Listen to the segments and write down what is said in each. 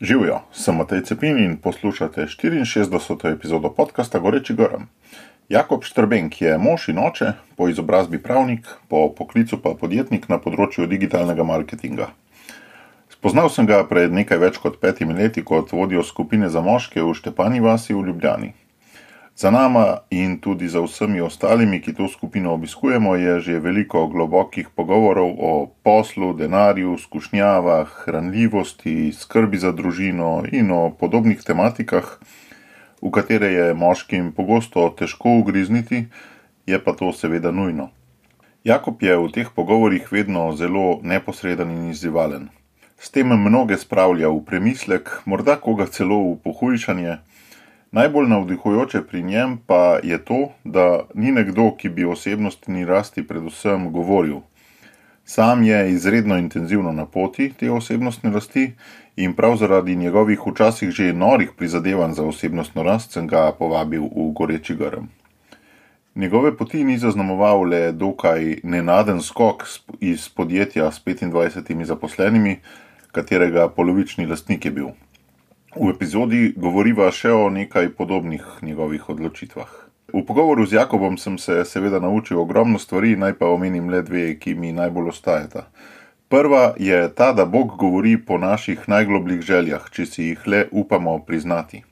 Živjo, sem Matej Cepin in poslušate 64. epizodo podcasta Goreči grm. Jakob Štrbenk je mož in oče, po izobrazbi pravnik, po poklicu pa podjetnik na področju digitalnega marketinga. Spoznal sem ga pred nekaj več kot 5 leti kot vodjo skupine za moške v Štepani vasi v Ljubljani. Za nama in tudi za vsemi ostalimi, ki to skupino obiskujemo, je že veliko globokih pogovorov o poslu, denarju, skušnjavah, hranljivosti, skrbi za družino in o podobnih tematikah, v katere je moškim pogosto težko ugrizniti, je pa to seveda nujno. Jakob je v teh pogovorih vedno zelo neposreden in izzivalen. S tem mnoge spravlja v premislek, morda koga celo v pohujšanje. Najbolj navdihujoče pri njem pa je to, da ni nekdo, ki bi osebnostni rasti predvsem govoril. Sam je izredno intenzivno na poti te osebnostne rasti in prav zaradi njegovih včasih že norih prizadevanj za osebnostno rast sem ga povabil v Goreči grm. Njegove poti ni zaznamoval le dokaj nenaden skok iz podjetja s 25 zaposlenimi, katerega polovični lastnik je bil. V epizodi govoriva še o nekaj podobnih njegovih odločitvah. V pogovoru z Jakobom sem se seveda naučil ogromno stvari, naj pa omenim le dve, ki mi najbolj ostajata. Prva je ta, da Bog govori po naših najglobljih željah, če si jih le upamo priznati.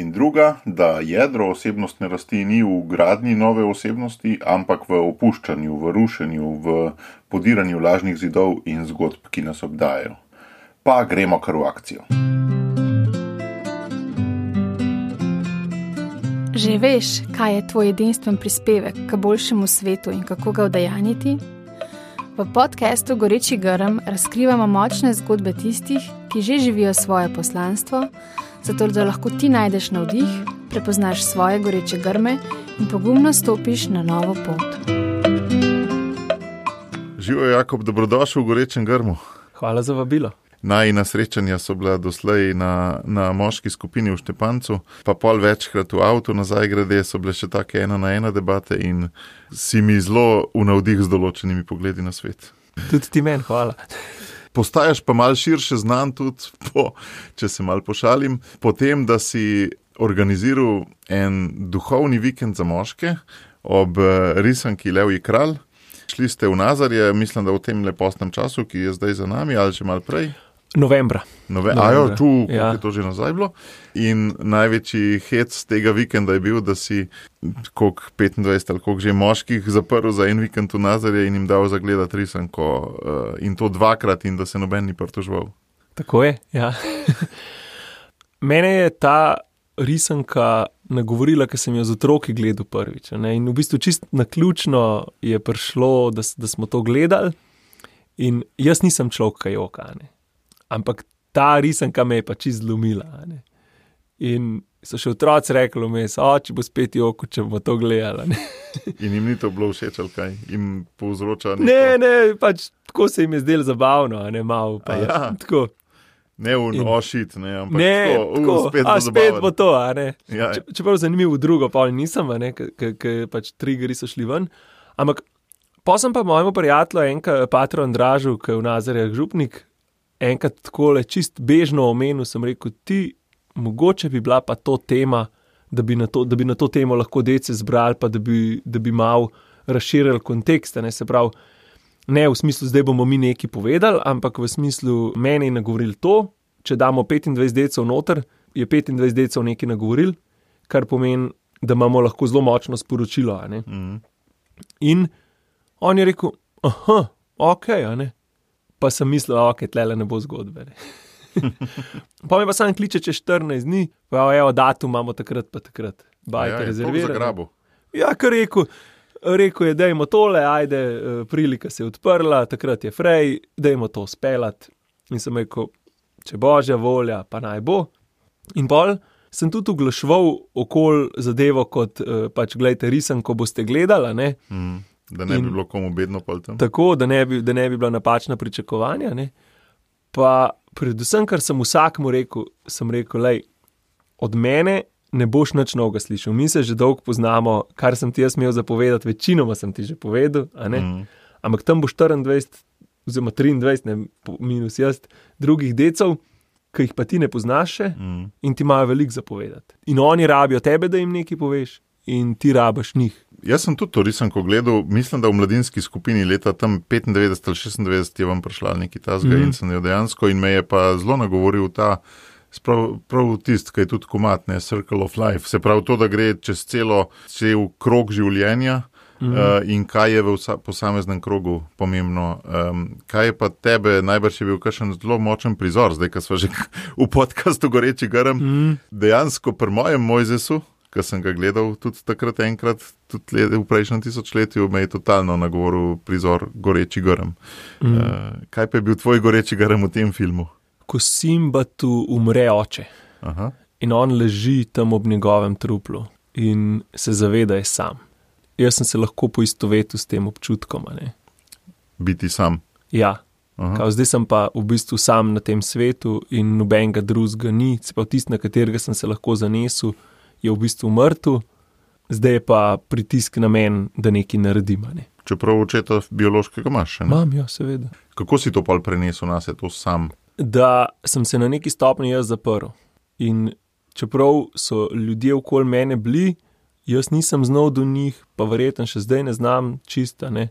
In druga, da jedro osebnostne rasti ni v gradnji nove osebnosti, ampak v opuščanju, v rušenju, v podiranju lažnih zidov in zgodb, ki nas obdajajo. Pa gremo kar v akcijo. Že veš, kaj je tvoj edinstven prispevek k boljšemu svetu in kako ga udejanjiti? V podcastu Goreči grm razkrivamo močne zgodbe tistih, ki že živijo svoje poslanstvo, zato da lahko ti najdeš navdih, prepoznaš svoje goreče grme in pogumno stopiš na novo pot. Živijo, Jakob, dobrodošel v Gorečem grmu. Hvala za vabilo. Najina srečanja so bila doslej na moški skupini v Štepancu, pa pol večkrat v avtu nazaj grede, so bile še take 1-na-1 debate in si mi zelo v navdih z določenimi pogledi na svet. Tudi ti meni, hvala. Postajaš pa malo širše znan tudi, če se malo pošalim, po tem, da si organiziral en duhovni vikend za moške ob risanki Levji kralj. Šli ste v Nazarje, mislim, da v tem lepostnem času, ki je zdaj za nami, ali že malo prej? Novembra. Koliko je to že nazaj bilo. In največji hec tega vikenda je bil, da si 25 ali koliko že moških zaprl za en vikend v Nazarje in jim dal zagledati risanko in to 2-krat in da se noben ni pritoževal. Tako je, ja. Mene je ta risanka nagovorila, ker sem jo z otroki gledal prvič. In v bistvu čist naključno je prišlo, da smo to gledali in jaz nisem človek joka, ampak ta risanka me je pa čist zlomila. In so še otroci rekli vmes, če bo spet joko, če bomo to gledali. In jim ni to bilo všeč ali kaj? Jim povzroča neko? Ne, pač tako se jim je zdelo zabavno, malo pa je. Tako. Ne ošit, ampak tako, spet bo to, Ja. Čeprav zanimivo drugo, pa nisem, ker pač triggeri so šli ven. Ampak pa sem pa mojemu prijatelju, patru Andražu, ki je v Nazarjah župnik, enkrat takole čist bežno omenil, sem rekel, ti, mogoče bi bila pa to tema, da bi na to temo lahko dece zbrali, pa da bi malo razširili kontekst, se pravi, ne v smislu, zdaj bomo mi nekaj povedali, ampak v smislu, meni je nagovoril to, če damo 25 decev noter, je 25 decev nekaj nagovoril, kar pomeni, da imamo lahko zelo močno sporočilo. In on je rekel, okej, pa sem mislil, tlele ne bo zgodbe. Pa me pa sam kliče čez 14 dni, pa datum imamo takrat pa takrat. Bajte rezervirano. Ja, kar rekel je, dajmo tole, ajde, prilika se je odprla, takrat je frej, dajmo to speljati. In sem rekel, če božja volja, pa naj bo. In pol sem tudi oglaševal okoli zadevo kot, gledajte, risanko boste gledali, Da ne bi bilo komu bedno pol tam. Tako, da ne bi bila napačna pričakovanja, Pa predvsem, kar sem vsakmu rekel, sem rekel, lej, od mene ne boš nič novega slišal. Mi se že dolgo poznamo, kar sem ti jaz imel zapovedati, večinoma sem ti že povedal, Ampak tam bo 24 oziroma 23, minus jaz, drugih decev, ki jih pa ti ne poznaš še in ti imajo veliko zapovedati. In oni rabijo tebe, da jim nekaj poveš in ti rabiš njih. Jaz sem tudi to risanko gledal, mislim, da v mladinski skupini leta tam 95 ali 96 je vam prišla neki tasga in sem jo dejansko in me je pa zelo nagovoril ta prav tist, ki je tudi komat, ne, Circle of Life. Se pravi to, da gre čez cel krog življenja in kaj je v posameznem krogu pomembno. Kaj je pa tebe, najbrž je bil kakšen zelo močen prizor, zdaj, ko smo že v podcastu Goreči grm, dejansko pri mojem Mojzesu, ko sem ga gledal tudi takrat enkrat, tudi v prejšnjem tisočletju, me je totalno nagovoril prizor Goreči grm. Kaj pa je bil tvoj Goreči grm v tem filmu? Ko Simbatu umre oče. Aha. In on leži tam ob njegovem truplu in se zaveda, je sam. Jaz sem se lahko poistovetil s tem občutkom. Ne? Biti sam. Ja. Zdaj sem pa v bistvu sam na tem svetu in nobenega drugega ni. Se pa tisti, na katerega sem se lahko zanesel, je v bistvu mrtev, zdaj je pa pritisk na men, da nekaj naredim. Ne? Čeprav očeta biološkega imaš še, ne? Imam, ja, seveda. Kako si to pa prenesel na se, to sam? Da sem se na neki stopni jaz zaprl. In čeprav so ljudje okoli mene bili, jaz nisem znal do njih, pa verjetno še zdaj ne znam čista, ne?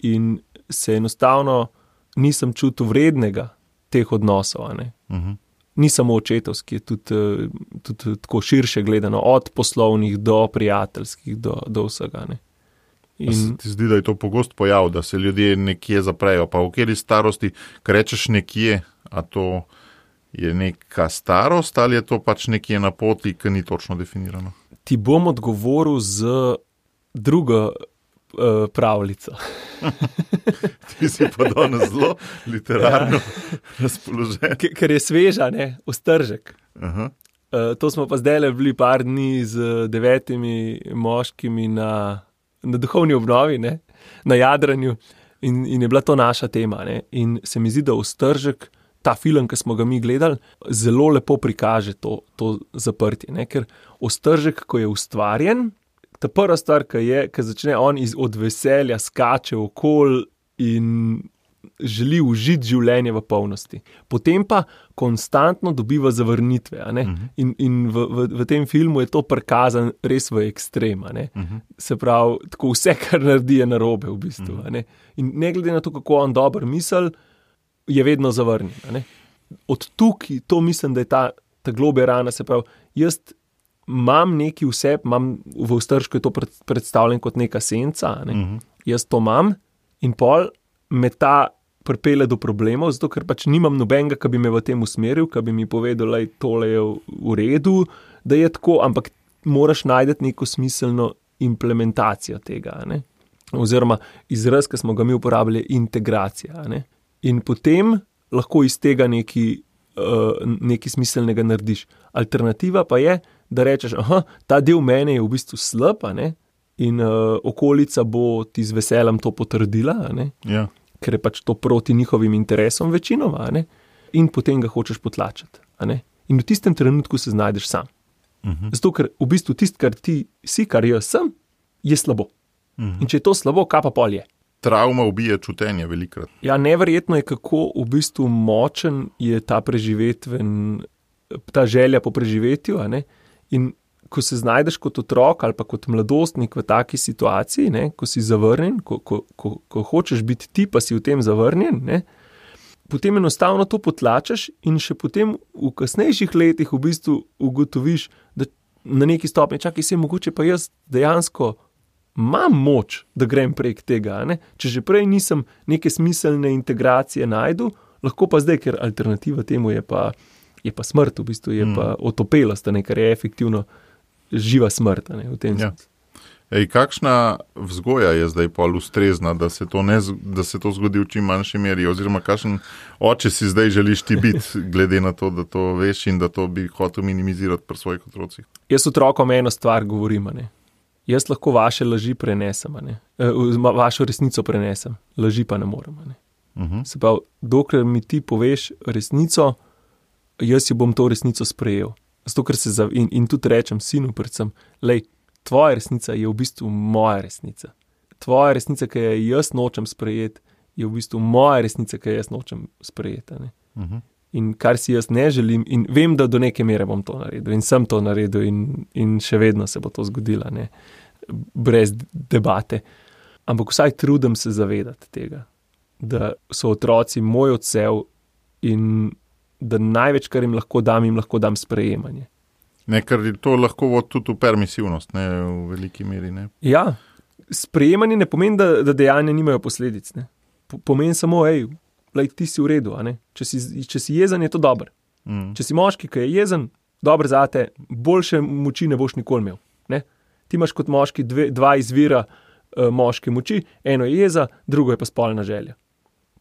In se enostavno nisem čutil vrednega teh odnosov, ne? Ni samo očetovski, je tudi tako širše gledano, od poslovnih do prijateljskih, do vsega, ne. In ti zdi, da je to pogost pojav, da se ljudje nekje zaprejo, pa v kateri starosti, ko rečeš nekje, a to je neka starost ali je to pač nekje na poti, ki ni točno definirano? Ti bom odgovoril z drugo pravljico. Ti si pa danes zelo literarno razpoložen. Ker je sveža, ne, Ostržek. To smo pa zdaj bili par dni z 9 moškimi na duhovni obnovi, ne, na jadranju in je bila to naša tema. Ne. In se mi zdi, da Ostržek, ta film, ki smo ga mi gledali, zelo lepo prikaže to zaprtje. Ne. Ker Ostržek, ko je ustvarjen, ta prva stvar, ki začne on od veselja skače okoli in želi užiti življenje v polnosti. Potem pa konstantno dobiva zavrnitve. A ne? In v tem filmu je to prikazan res v ekstrem. Se pravi, tako vse, kar naredi, je narobe v bistvu. A ne? In ne glede na to, kako on dobro misli, je vedno zavrnjen. Od tukaj, to mislim, da je ta globlja rana, se pravi, jaz imam neki vse, v Ostržku je to predstavljen kot neka senca, ne? Jaz to imam in pol me ta pripelje do problemov, zato ker pač nimam nobenega, ki bi me v tem usmeril, ki bi mi povedal, da tole je v redu, da je tako, ampak moraš najti neko smiselno implementacijo tega, ne? Oziroma izraz, ki smo ga mi uporabljali, je integracija. Ne? In potem lahko iz tega nekaj smiselnega narediš. Alternativa pa je, da rečeš, ta del mene je v bistvu slab, in okolica bo ti z veseljem to potrdila, ja. Ker je pač to proti njihovim interesom večinoma, in potem ga hočeš potlačiti. In v tistem trenutku se znajdeš sam. Zato, ker v bistvu tisto, kar ti si, kar jaz sem, je slabo. In če je to slabo, kaj pa pol je? Travma ubije čutenje velikrat. Ja, neverjetno je, kako v bistvu močen je ta ta želja po preživetju, in ko se znajdeš kot otrok ali pa kot mladostnik v taki situaciji, ko si zavrnjen, ko hočeš biti ti, pa si v tem zavrnjen, potem enostavno to potlačaš in še potem v kasnejših letih v bistvu ugotoviš, da na neki stopnji, se mogoče pa jaz dejansko imam moč, da grem prek tega. Če že prej nisem neke smiselne integracije najdu, lahko pa zdaj, ker alternativa temu je pa smrt, v bistvu je pa otopelost, kar je efektivno živa smrt. V tem sensu. Kakšna vzgoja je zdaj pol ustrezna, da se to zgodi v čim manjši meri, oziroma kakšen oče si zdaj želiš ti biti, glede na to, da to veš in da to bi hotel minimizirati pri svojih otrocih? Jaz otrokom eno stvar govorim, Jaz lahko vaše laži prenesem, vašo resnico prenesem, laži pa ne morem. Se pravi, dokler mi ti poveš resnico, jaz jo bom to resnico sprejel. Zato, ker in tudi rečem sinu predvsem, tvoja resnica je v bistvu moja resnica. Tvoja resnica, ki jo jaz nočem sprejeti, je v bistvu moja resnica, ki jo jaz nočem sprejeti. in kar si jaz ne želim, in vem, da do neke mere bom to naredil in sem to naredil in še vedno se bo to zgodilo, ne, brez debate. Ampak vsaj trudim se zavedati tega, da so otroci moj odsev in da največ, kar jim lahko dam sprejemanje. Ne, ker to lahko vodi tudi v permisivnost, ne, v veliki meri, ne. Ja, sprejemanje ne pomeni, da dejanja nimajo posledic, ne. Pomeni samo, ti si v redu, a ne. Če si jezen, je to dobro. Če si moški, ki je jezen, dobro zate, boljše moči ne boš nikoli imel, ne. Ti imaš kot moški dva izvira moške moči, eno je jeza, drugo je pa spolna želja.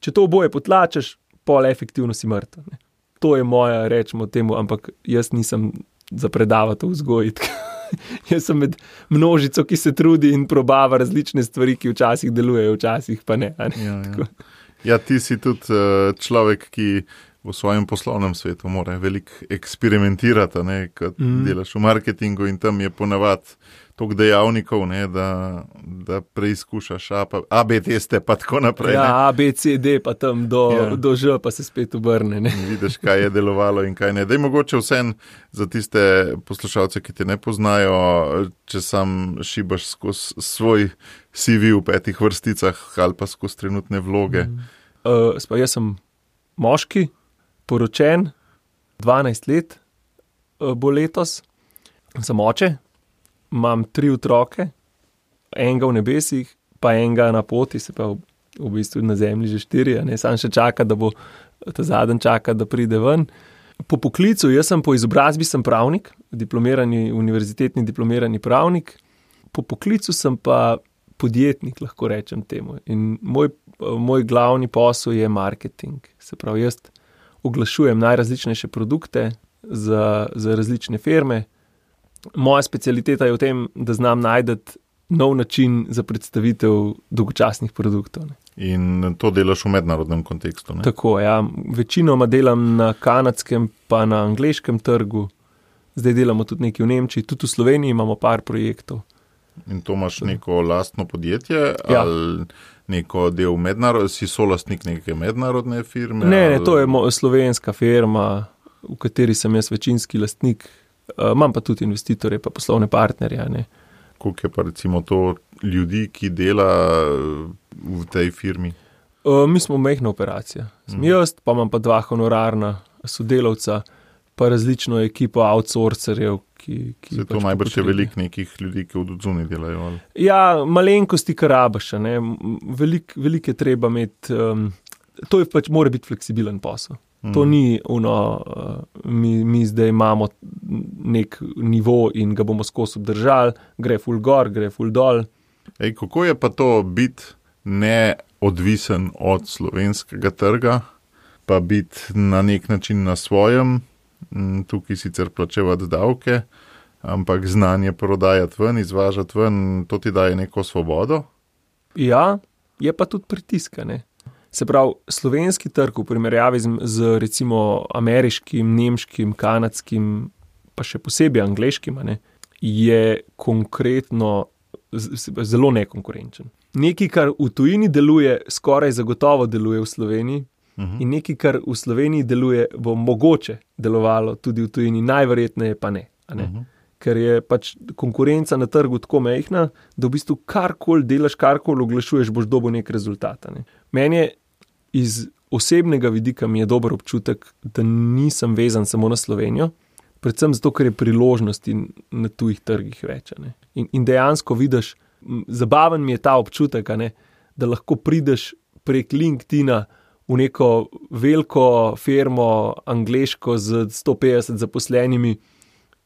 Če to oboje potlačeš, pol efektivno si mrtev, ne. To je moja, rečemo temu, ampak jaz nisem za predavati v vzgoji. Jaz sem med množico, ki se trudi in probava različne stvari, ki včasih delujejo, včasih pa ne. Ja, ti si tudi človek, ki v svojem poslovnem svetu mora veliko eksperimentirati, ne, kad delaš v marketingu in tam je ponavadi toliko dejavnikov, ne, da preizkušaš AB teste pa tako naprej. Ja, A, B, C, D pa tam do Ž pa se spet obrne. Ne. Vidiš, kaj je delovalo in kaj ne. Daj mogoče vsem za tiste poslušalce, ki te ne poznajo, če sam šibaš skozi svoj CV v 5 vrsticah ali pa skozi trenutne vloge. Jaz sem moški, poročen, 12 let bo letos, sem oče. Imam 3 otroke, enega v nebesih, pa enega na poti, se pa v bistvu na zemlji že 4, ne, sam še čaka, da bo ta zadnji čaka, da pride ven. Po poklicu, jaz sem po izobrazbi sem pravnik, univerzitetni diplomirani pravnik, po poklicu sem pa podjetnik, lahko rečem temu. In moj glavni posel je marketing. Se pravi, jaz oglašujem najrazličnejše produkte za različne firme. Moja specialiteta je v tem, da znam najti nov način za predstavitev dolgočasnih produktov. Ne. In to delaš v mednarodnem kontekstu, ne? Tako, ja. Večinoma delam na kanadskem pa na angleškem trgu. Zdaj delamo tudi nekaj v Nemčiji, tudi v Sloveniji imamo par projektov. In to imaš neko lastno podjetje, ja. Ali neko del si solastnik neke mednarodne firme? Ne, to je slovenska firma, v kateri sem jaz večinski lastnik. Imam pa tudi investitorje, pa poslovne partnerje. Ne. Koliko je pa recimo to ljudi, ki dela v tej firmi? Mi smo majhna operacija. Sem jaz, pa imam pa 2 honorarna sodelavca, pa različno ekipo outsourcerjev, ki se to najbrž je veliko nekih ljudi, ki v odzuni delajo. Ali? Ja, malenkosti karabaša. Veliko je treba imeti, to je pač mora biti fleksibilen posel. To ni mi zdaj imamo nek nivo in ga bomo skozi obdržali, gre ful gor, gre ful dol. Kako je pa to biti neodvisen od slovenskega trga, pa biti na nek način na svojem, tukaj sicer plačevati davke, ampak znanje prodajati ven, izvažati ven, to ti daje neko svobodo? Ja, je pa tudi pritiska, ne. Se pravi, slovenski trg v primerjavi z recimo ameriškim, nemškim, kanadskim, pa še posebej angleškim, ne, je konkretno zelo nekonkurenčen. Nekaj, kar v tujini deluje, skoraj zagotovo deluje v Sloveniji, in nekaj, kar v Sloveniji deluje, bo mogoče delovalo tudi v tujini, najverjetneje pa ne. Ker je pač konkurenca na trgu tako majhna, da v bistvu karkoli delaš, karkoli oglašuješ, boš dobil nek rezultat. Ne. Meni je iz osebnega vidika mi je dober občutek, da nisem vezan samo na Slovenijo, predvsem zato, ker je priložnosti na tujih trgih več. Ne. In dejansko vidiš, zabaven mi je ta občutek, ne, da lahko prideš prek LinkedIna v neko veliko firmo angleško z 150 zaposlenimi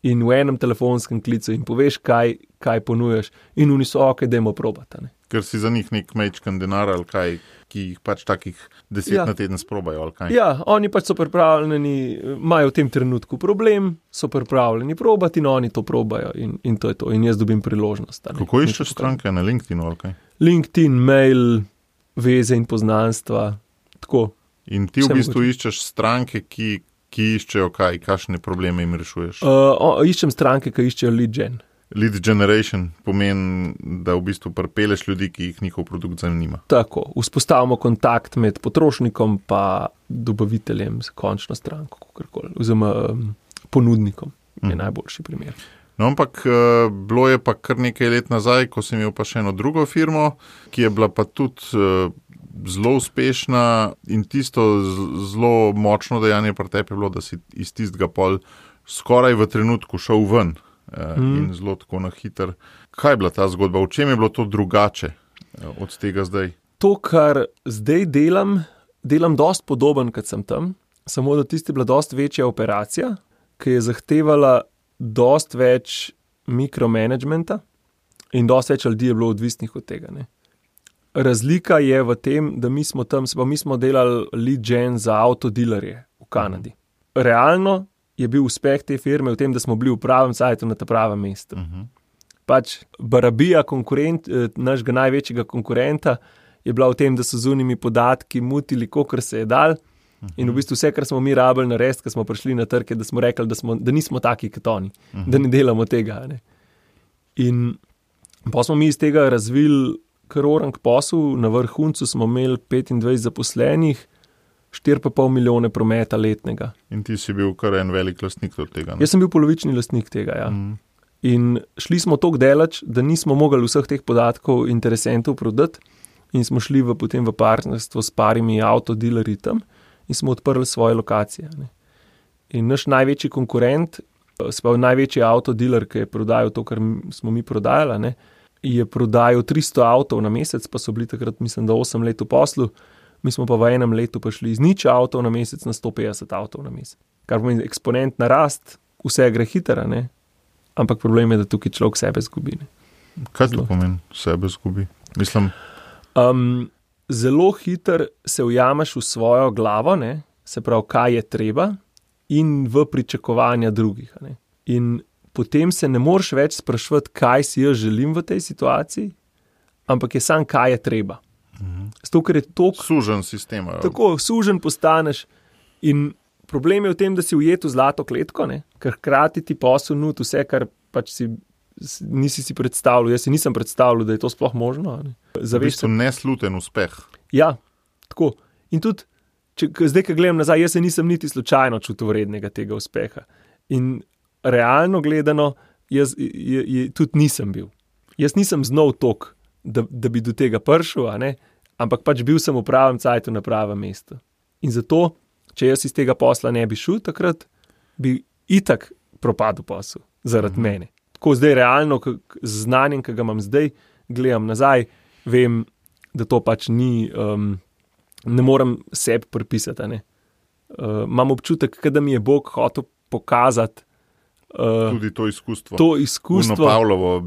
in v enem telefonskem klicu in poveš, kaj ponujaš, in oni so dajmo probati. Ne. Ker si za njih nek mečkan denar ali kaj, ki jih pač takih 10 na teden sprobajo ali kaj. Ja, oni pač so pripravljeni, imajo v tem trenutku problem, so pripravljeni probati in oni to probajo in to je to. In jaz dobim priložnost. Kako iščeš stranke na LinkedInu ali kaj? LinkedIn, mail, veze in poznanstva, tako. In ti v bistvu iščeš stranke, ki iščejo kaj, kakšne probleme jim rešuješ? Iščem stranke, ki iščejo lead gen. lead generation pomeni, da v bistvu pripeleš ljudi, ki jih njihov produkt zanima. Tako, vzpostavimo kontakt med potrošnikom pa dobaviteljem za končno stranko, kakorkoli, oziroma ponudnikom je najboljši primer. No, ampak bilo je pa kar nekaj let nazaj, ko sem imel pa še eno drugo firmo, ki je bila pa tudi zelo uspešna in tisto zelo močno dejanje pri tebi je bilo, da si iz tistega pol skoraj v trenutku šel ven in zelo tako na hiter. Kaj je bila ta zgodba? V čem je bilo to drugače od tega zdaj? To, kar zdaj delam dost podoben, kot sem tam, samo da tisti je bila dost večja operacija, ki je zahtevala dost več mikromanagementa in dost več ljudi je bilo odvisnih od tega. Ne. Razlika je v tem, da mi smo delali lead gen za avtodilerje v Kanadi. Realno je bil uspeh te firme v tem, da smo bili v pravem sajtu na ta pravem mestu. Pač barabija našega največjega konkurenta je bila v tem, da so z unimi podatki mutili, kolikor se je dal. In v bistvu vse, kar smo mi rabili narediti, ko smo prišli na trg, da smo rekli, da nismo taki kot oni, da ne delamo tega. Ne. In pa smo mi iz tega razvili kar orang posel, na vrhuncu smo imeli 25 zaposlenih, 4,5 milijone prometa letnega. In ti si bil kar en velik lastnik od tega. Ne? Jaz sem bil polovični lastnik tega, ja. In šli smo toliko daleč, da nismo mogli vseh teh podatkov interesentov prodati in smo šli potem v partnerstvo s parimi avtodilerji tam in smo odprli svoje lokacije. Ne. In naš največji konkurent, največji avtodiler, ki je prodajal to, kar smo mi prodajali, ne, je prodajal 300 avtov na mesec, pa so bili takrat, mislim, da 8 let v poslu, mi smo pa v enem letu prišli iz 0 avtov na mesec na 150 avtov na mesec. Kar pomeni eksponentna rast, vse gre hitro, ne, ampak problem je, da tukaj človek sebe zgubi. Ne. Kaj to pomeni, sebe zgubi? Mislim... Zelo hitro se ujameš v svojo glavo, ne? Se pravi, kaj je treba in v pričakovanja drugih. Ne? In potem se ne moreš več spraševati, kaj si jaz želim v tej situaciji, ampak je sam, kaj je treba. Zato, ker je toliko... Sužen sistem. Tako, sužen postaneš in problem je v tem, da si ujet v zlato kletko, ne? Ker hkrati ti posel nudi vse, kar pač nisi si predstavljal, jaz si nisem predstavljal, da je to sploh možno. Ne? V bistvu nesluten uspeh. Ja, tako. In tudi, zdaj, ko gledam nazaj, jaz se nisem niti slučajno čutil vrednega tega uspeha. In realno gledano, jaz tudi nisem bil. Jaz nisem znal toliko, da bi do tega prišel, ampak pač bil sem v pravem cajtu na pravem mestu. In zato, če jaz iz tega posla ne bi šel takrat, bi itak propadel posel zaradi mene. Tako zdaj realno, z znanjem, ki ga imam zdaj, gledam nazaj, vem, da to pač ni, ne morem sebi pripisati. Imam občutek, da mi je Bog hotel pokazati tudi to izkustvo. To izkustvo. Puno Pavlovo,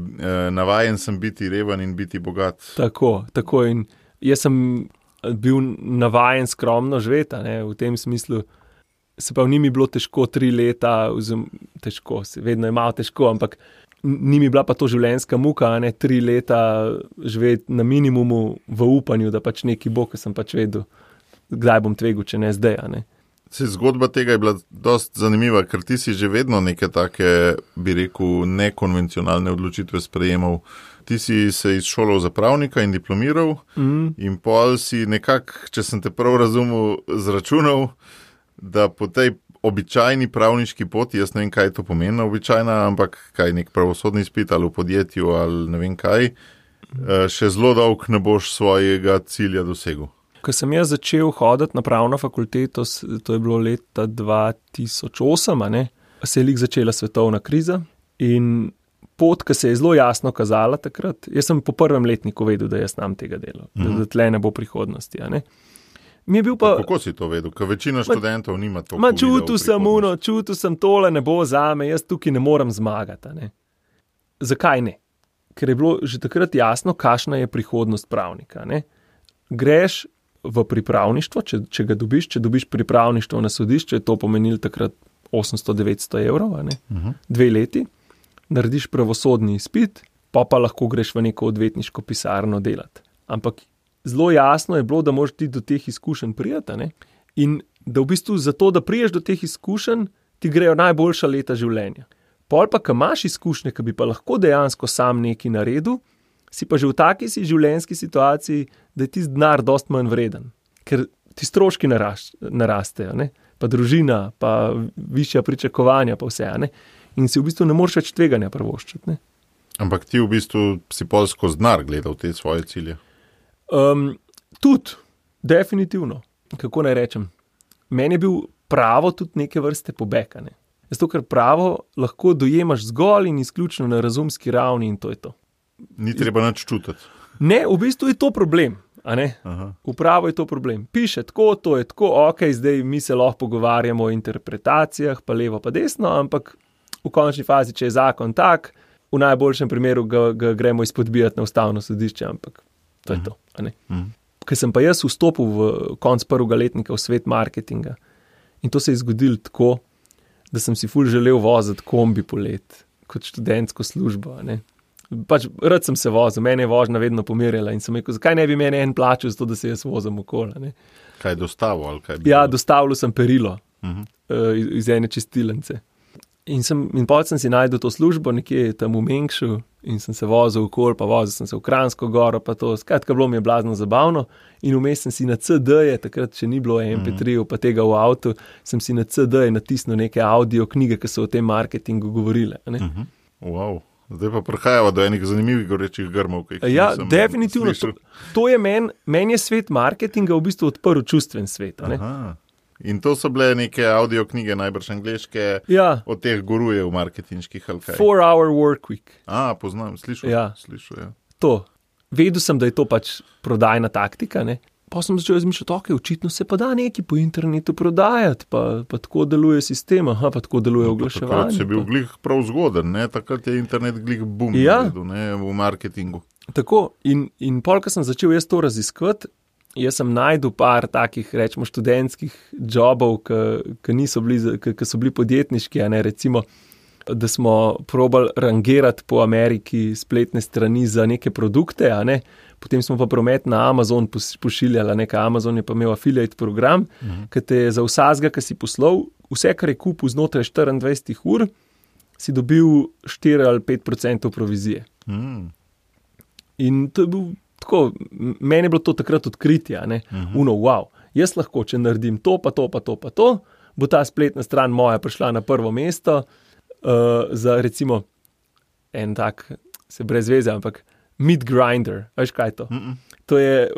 navajen sem biti reven in biti bogat. Tako. In jaz sem bil navajen skromno živeti, v tem smislu. Se pa ni mi bilo težko 3 leta, težko, vedno je malo težko, ampak ni mi bila pa to življenjska muka, 3 leta živeti na minimumu v upanju, da pač neki bo, ker sem pač vedel, kdaj bom tvegal, če ne zdaj. Zgodba tega je bila dost zanimiva, ker ti si že vedno neke take, bi rekel, nekonvencionalne odločitve sprejemal. Ti si se izšolal za pravnika in diplomiral in pol si nekako, če sem te prav razumel, zračunal, da po tej običajni pravniški poti, jaz ne vem, kaj to pomeni običajna, ampak kaj nek pravosodni izpit ali v podjetju ali ne vem kaj, še zelo dolg ne boš svojega cilja dosegel. Ko sem jaz začel hoditi na pravno fakulteto, to je bilo leta 2008, se je začela svetovna kriza in pot, ki se je zelo jasno kazala takrat, jaz sem po prvem letniku vedel, da jaz znam tega dela, da tle ne bo prihodnosti, Kako si to vedel? Ker večina študentov nima to. Čutil sem tole ne bo zame, jaz tukaj ne morem zmagati. Zakaj ne? Ker je bilo že takrat jasno, kakšna je prihodnost pravnika. Greš v pripravništvo, če ga dobiš, če dobiš pripravništvo na sodišče, je to pomenilo takrat 800-900 evrov, 2 leti, narediš pravosodni izpit, pa lahko greš v neko odvetniško pisarno delati. Ampak zelo jasno je bilo, da moraš ti do teh izkušenj prijeti, in da v bistvu zato, da priješ do teh izkušenj, ti grejo najboljša leta življenja. Pol pa, ko imaš izkušnje, ki bi pa lahko dejansko sam nekaj naredil, si pa že v taki življenjski situaciji, da je tisti denar dost manj vreden. Ker ti stroški narastejo, ne? Pa družina, pa višja pričakovanja, pa vse. Ne? In si v bistvu ne moreš več tveganja privoščiti. Ne? Ampak ti v bistvu si pol skozi denar gledal te svoje cilje. Tudi, definitivno. Kako naj rečem? Meni je bil pravo tudi neke vrste pobeg. Ne? Zato, ker pravo lahko dojemaš zgolj in izključno na razumski ravni in to je to. Ni treba nič čutiti. Ne, v bistvu je to problem. V pravo je to problem. Piše tako, to je tako, ok, zdaj mi se lahko pogovarjamo o interpretacijah, pa levo, pa desno, ampak v končni fazi, če je zakon tak, v najboljšem primeru ga gremo izpodbijati na ustavno sodišče, ampak to je to. Ker sem pa jaz vstopil v konc prvega letnika v svet marketinga in to se je zgodilo tako, da sem si ful želel voziti kombi polet kot študentsko službo. Pač rad sem se vozil, mene je vožnja vedno pomirjala in sem rekel, zakaj ne bi meni en plačal za to, da se jaz vozim okoli. Kaj je dostavil ali kaj bi? Ja, dostavil sem perilo iz ene čistilnice. In potem sem si najdel to službo nekje tam v Mengšu in sem se vozil okoli, pa vozil sem se v Kranjsko goro, pa to, skratka bilo mi je blazno zabavno in vmes sem si na CD-je, takrat še ni bilo MP3, pa tega v avtu, sem si na CD-je natisnil neke audio knjige, ki so o tem marketingu govorile. Wow. Zdaj pa prihajava do enih zanimivih gorečih grmov. Ja, definitivno. To je meni je svet marketinga v bistvu odprl čustven svet. In to so bile neke audio knjige, najbrž angleške, od teh gurujev marketinških ali kaj. 4-hour work week. Poznam, slišal. Ja. To. Vedel sem, da je to pač prodajna taktika, ne. Pa sem začel razmišljati, ok, očitno se pa da nekaj po internetu prodajati, pa tako deluje sistem, pa tako deluje oglaševanje. Takrat si bil glih prav zgoden, ne? Takrat je internet glih boom naredil, ne? V marketingu. Tako, in pol, ko sem začel jaz to raziskovati, jaz sem najdel par takih, rečemo, študentskih jobov, ki so bili podjetniški, recimo, da smo probali rangirati po Ameriki spletne strani za neke produkte, Potem smo pa promet na Amazon pošiljali, Amazon je pa imel affiliate program, ki te za vsazga, ki si poslal, vse, kar je kupil znotraj 24 ur, si dobil 4 ali 5% provizije. In to je bil tako, meni je bilo to takrat odkritje, wow, jaz lahko, če naredim to, pa to, pa to, pa to, bo ta spletna stran moja prišla na prvo mesto, za recimo en tak, se brez veze, ampak meat grinder, veš kaj je to? To je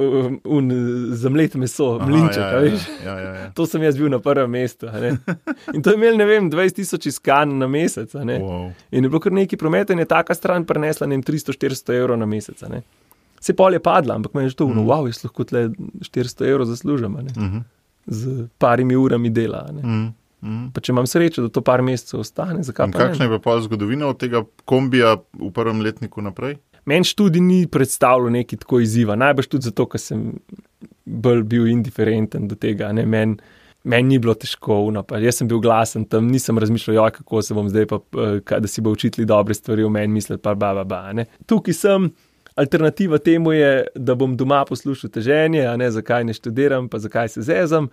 zamlet meso, mlinček, veš? Ja. To sem jaz bil na prvem mestu, In to je imel, 20,000 iskanj na mesec, Wow. In je bilo kar nekaj prometa in je taka stran prenesla 300-400 evrov na mesec, Se pol je padla, ampak meni je to, wow, jaz lahko tle 400 evrov zaslužim, z parimi urami dela, Pa če imam srečo, da to par mesecev ostane, zakaj pa ne? In kakšna je pa zgodovina od tega kombija v prvem letniku naprej? Meni študij ni predstavljal nekaj tako izziva, najbrž tudi zato, ker sem bolj bil indiferenten do tega, Meni ni bilo težko, jaz sem bil glasen tam, nisem razmišljal, kako se bom zdaj pa, da si bo učitelji dobre stvari v meni misliti, pa Tukaj sem, alternativa temu je, da bom doma poslušal teženje, zakaj ne študiram, pa zakaj se zezam,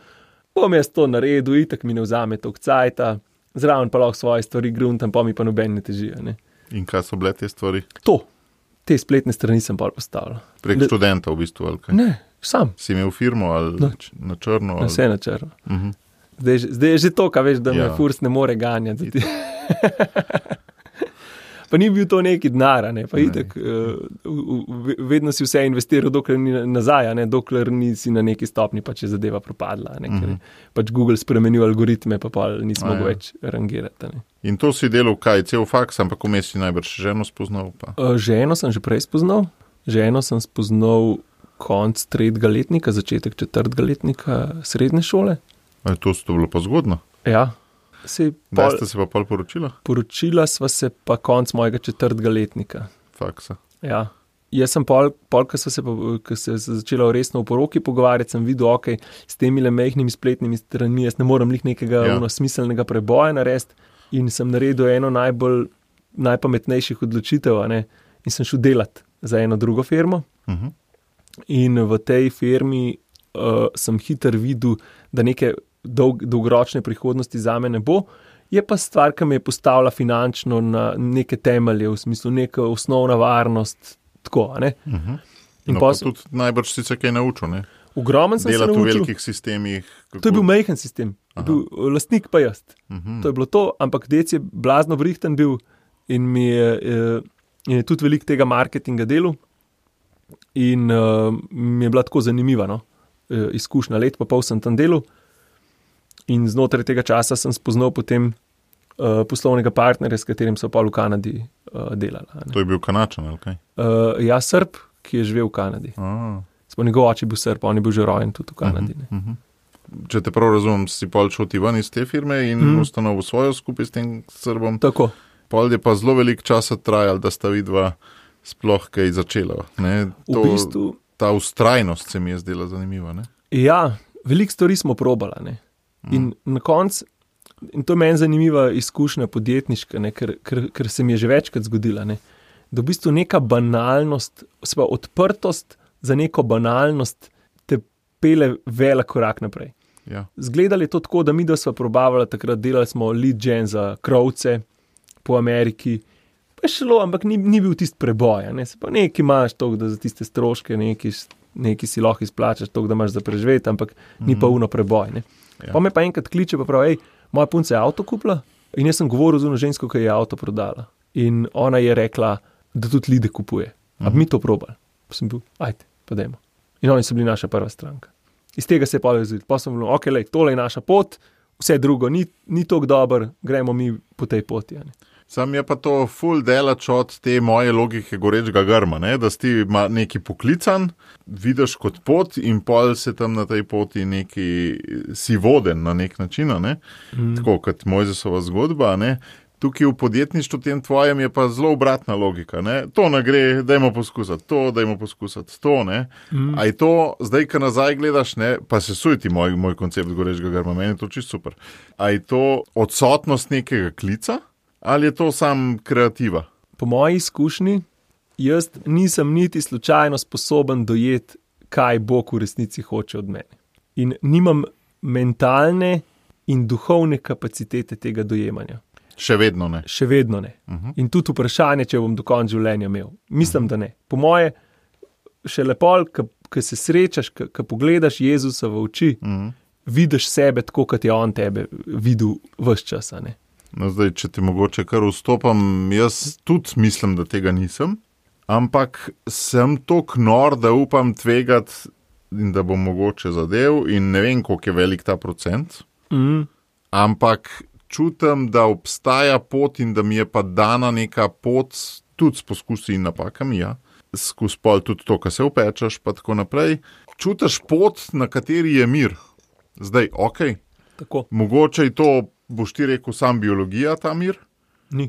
bom jaz to naredil, itak mi ne vzame toliko cajta, zraven pa lahko svoje stvari gruntam, pa mi pa noben ne težijo, In kaj so bile te stvari? Te spletne strani sem pol postavil. Prek študenta v bistvu, ali kaj? Ne, sam. Si imel firmo ali na črno? Vse na črno. Zdaj je že to, kaj veš, da me furs ne more ganjati. Pa ni bil to neki denar, pa itak, vedno si vse investiral, dokler ni nazaj, dokler nisi na neki stopni, pa če zadeva propadla, ker pač Google spremenil algoritme, pa nismo mogli več rangirati. In to si delal kaj, cel faks, ampak vmes si najbrž ženo spoznal? Pa? Ženo sem že prej spoznal. Ženo sem spoznal konc 3. letnika, začetek 4. letnika srednje šole. To bilo pa zgodno? Ja. Da ste se pa pol poročila? Poročila sva se pa konc mojega 4. letnika. Faksa. Ja. Jaz sem pol, ko se je začela resno v poroki pogovarjati, sem videl, ok, s temi majhnimi spletnimi stranmi, jaz ne morem nekega smiselnega preboja narediti in sem naredil eno najpametnejših odločitev, in sem šel delati za eno drugo firmo. In v tej firmi sem hitro videl, da neke dolgoročne prihodnosti zame ne bo Je pa stvar, ki me je postavila finančno na neke temelje, v smislu neka osnovna varnost, tako, ne. In pa tudi najbrž si se kaj naučil, ne? Ogromen sem se naučil. Delati v velikih sistemih. To je bil majhen sistem, bil lastnik pa jaz. To je bilo to, ampak dec je blazno vrihten bil in mi je tudi veliko tega marketinga delal in mi je bila tako zanimiva, no? Izkušnja, let pa pol sem tam delal in znotraj tega časa sem spoznal potem poslovnega partnerja, s katerim so pa v Kanadi delala. To je bil Kanačan, ali kaj? Ja, Srb, ki je živel v Kanadi. Smo njegov oče bil Srb, on je bil že rojen tudi v Kanadi. Če te prav razumem, si pol šel ti ven iz te firme in ustanovil svojo skupaj s tem Srbom. Tako. Pol je pa zelo veliko časa trajal, da sta vidva sploh kaj začela. Ne? V bistvu... Ta ustrajnost se mi je zdela zanimiva. Ne? Ja, veliko stvari smo probala. Ne? In na koncu, in to je meni zanimiva izkušnja podjetniška, ne? Ker se mi je že večkrat zgodila, ne? Da v bistvu neka banalnost, odprtost za neko banalnost te pele velik korak naprej. Ja. Zgledali je to tako, da mi da sva probavali, takrat delali smo lead gen za krovce po Ameriki, pa je šlo, ampak ni bil tist preboj, ne? Se pa nekaj imaš toliko, da za tiste stroške, nekaj si lahko izplačaš toliko, da imaš za preživeti, ampak ni pa uno preboj, ne? Ja. Pa me pa enkrat kliče, pa pravi, moja punca je avto kupila in jaz sem govoril z ono žensko, ki je avto prodala. In ona je rekla, da tudi lide kupuje. A bi mi to probali? Pa sem bil, ajde, pa dajmo. In oni so bili naša prva stranka. Iz tega se je pa razvil. Pa sem bil, ok, lej, tole je naša pot, vse drugo ni toliko dobro, gremo mi po tej poti. Ne? Sam je pa to ful delač od te moje logike gorečega grma, ne? Da si neki poklican, vidiš kot pot in pol se tam na tej poti neki si voden na nek način, ne? Tako kot Mojzesova zgodba, ne? Tukaj v podjetništvu tem tvojem je pa zelo obratna logika, ne? To ne gre, dajmo poskusati, to, ne? A je to, zdaj, ko nazaj gledaš, ne? Pa se sujti moj koncept gorečega grma, meni je to čisto super. A je to odsotnost nekega klica? Ali je to sam kreativa? Po moji izkušnji, jaz nisem niti slučajno sposoben dojeti, kaj Bog v resnici hoče od mene. In nimam mentalne in duhovne kapacitete tega dojemanja. Še vedno ne. Še vedno ne. In tudi vprašanje, če bom do konca življenja imel. Mislim, da ne. Po moje, še lepo, ko se srečaš, ko pogledaš Jezusa v oči, vidiš sebe tako, kot je on tebe videl ves čas, ne. No, zdaj, če ti mogoče kar vstopam, jaz tudi mislim, da tega nisem, ampak sem toliko nor, da upam tvegati in da bom mogoče zadev in ne vem, koliko je velik ta procent, ampak čutim, da obstaja pot in da mi je pa dana neka pot, tudi s poskusi in napakami, ja, skozi pol tudi to, kar se upečeš, pa tako naprej. Čutiš pot, na kateri je mir. Zdaj, okej. Tako. Mogoče je to, boš ti rekel, sam biologija, ta mir? Ni.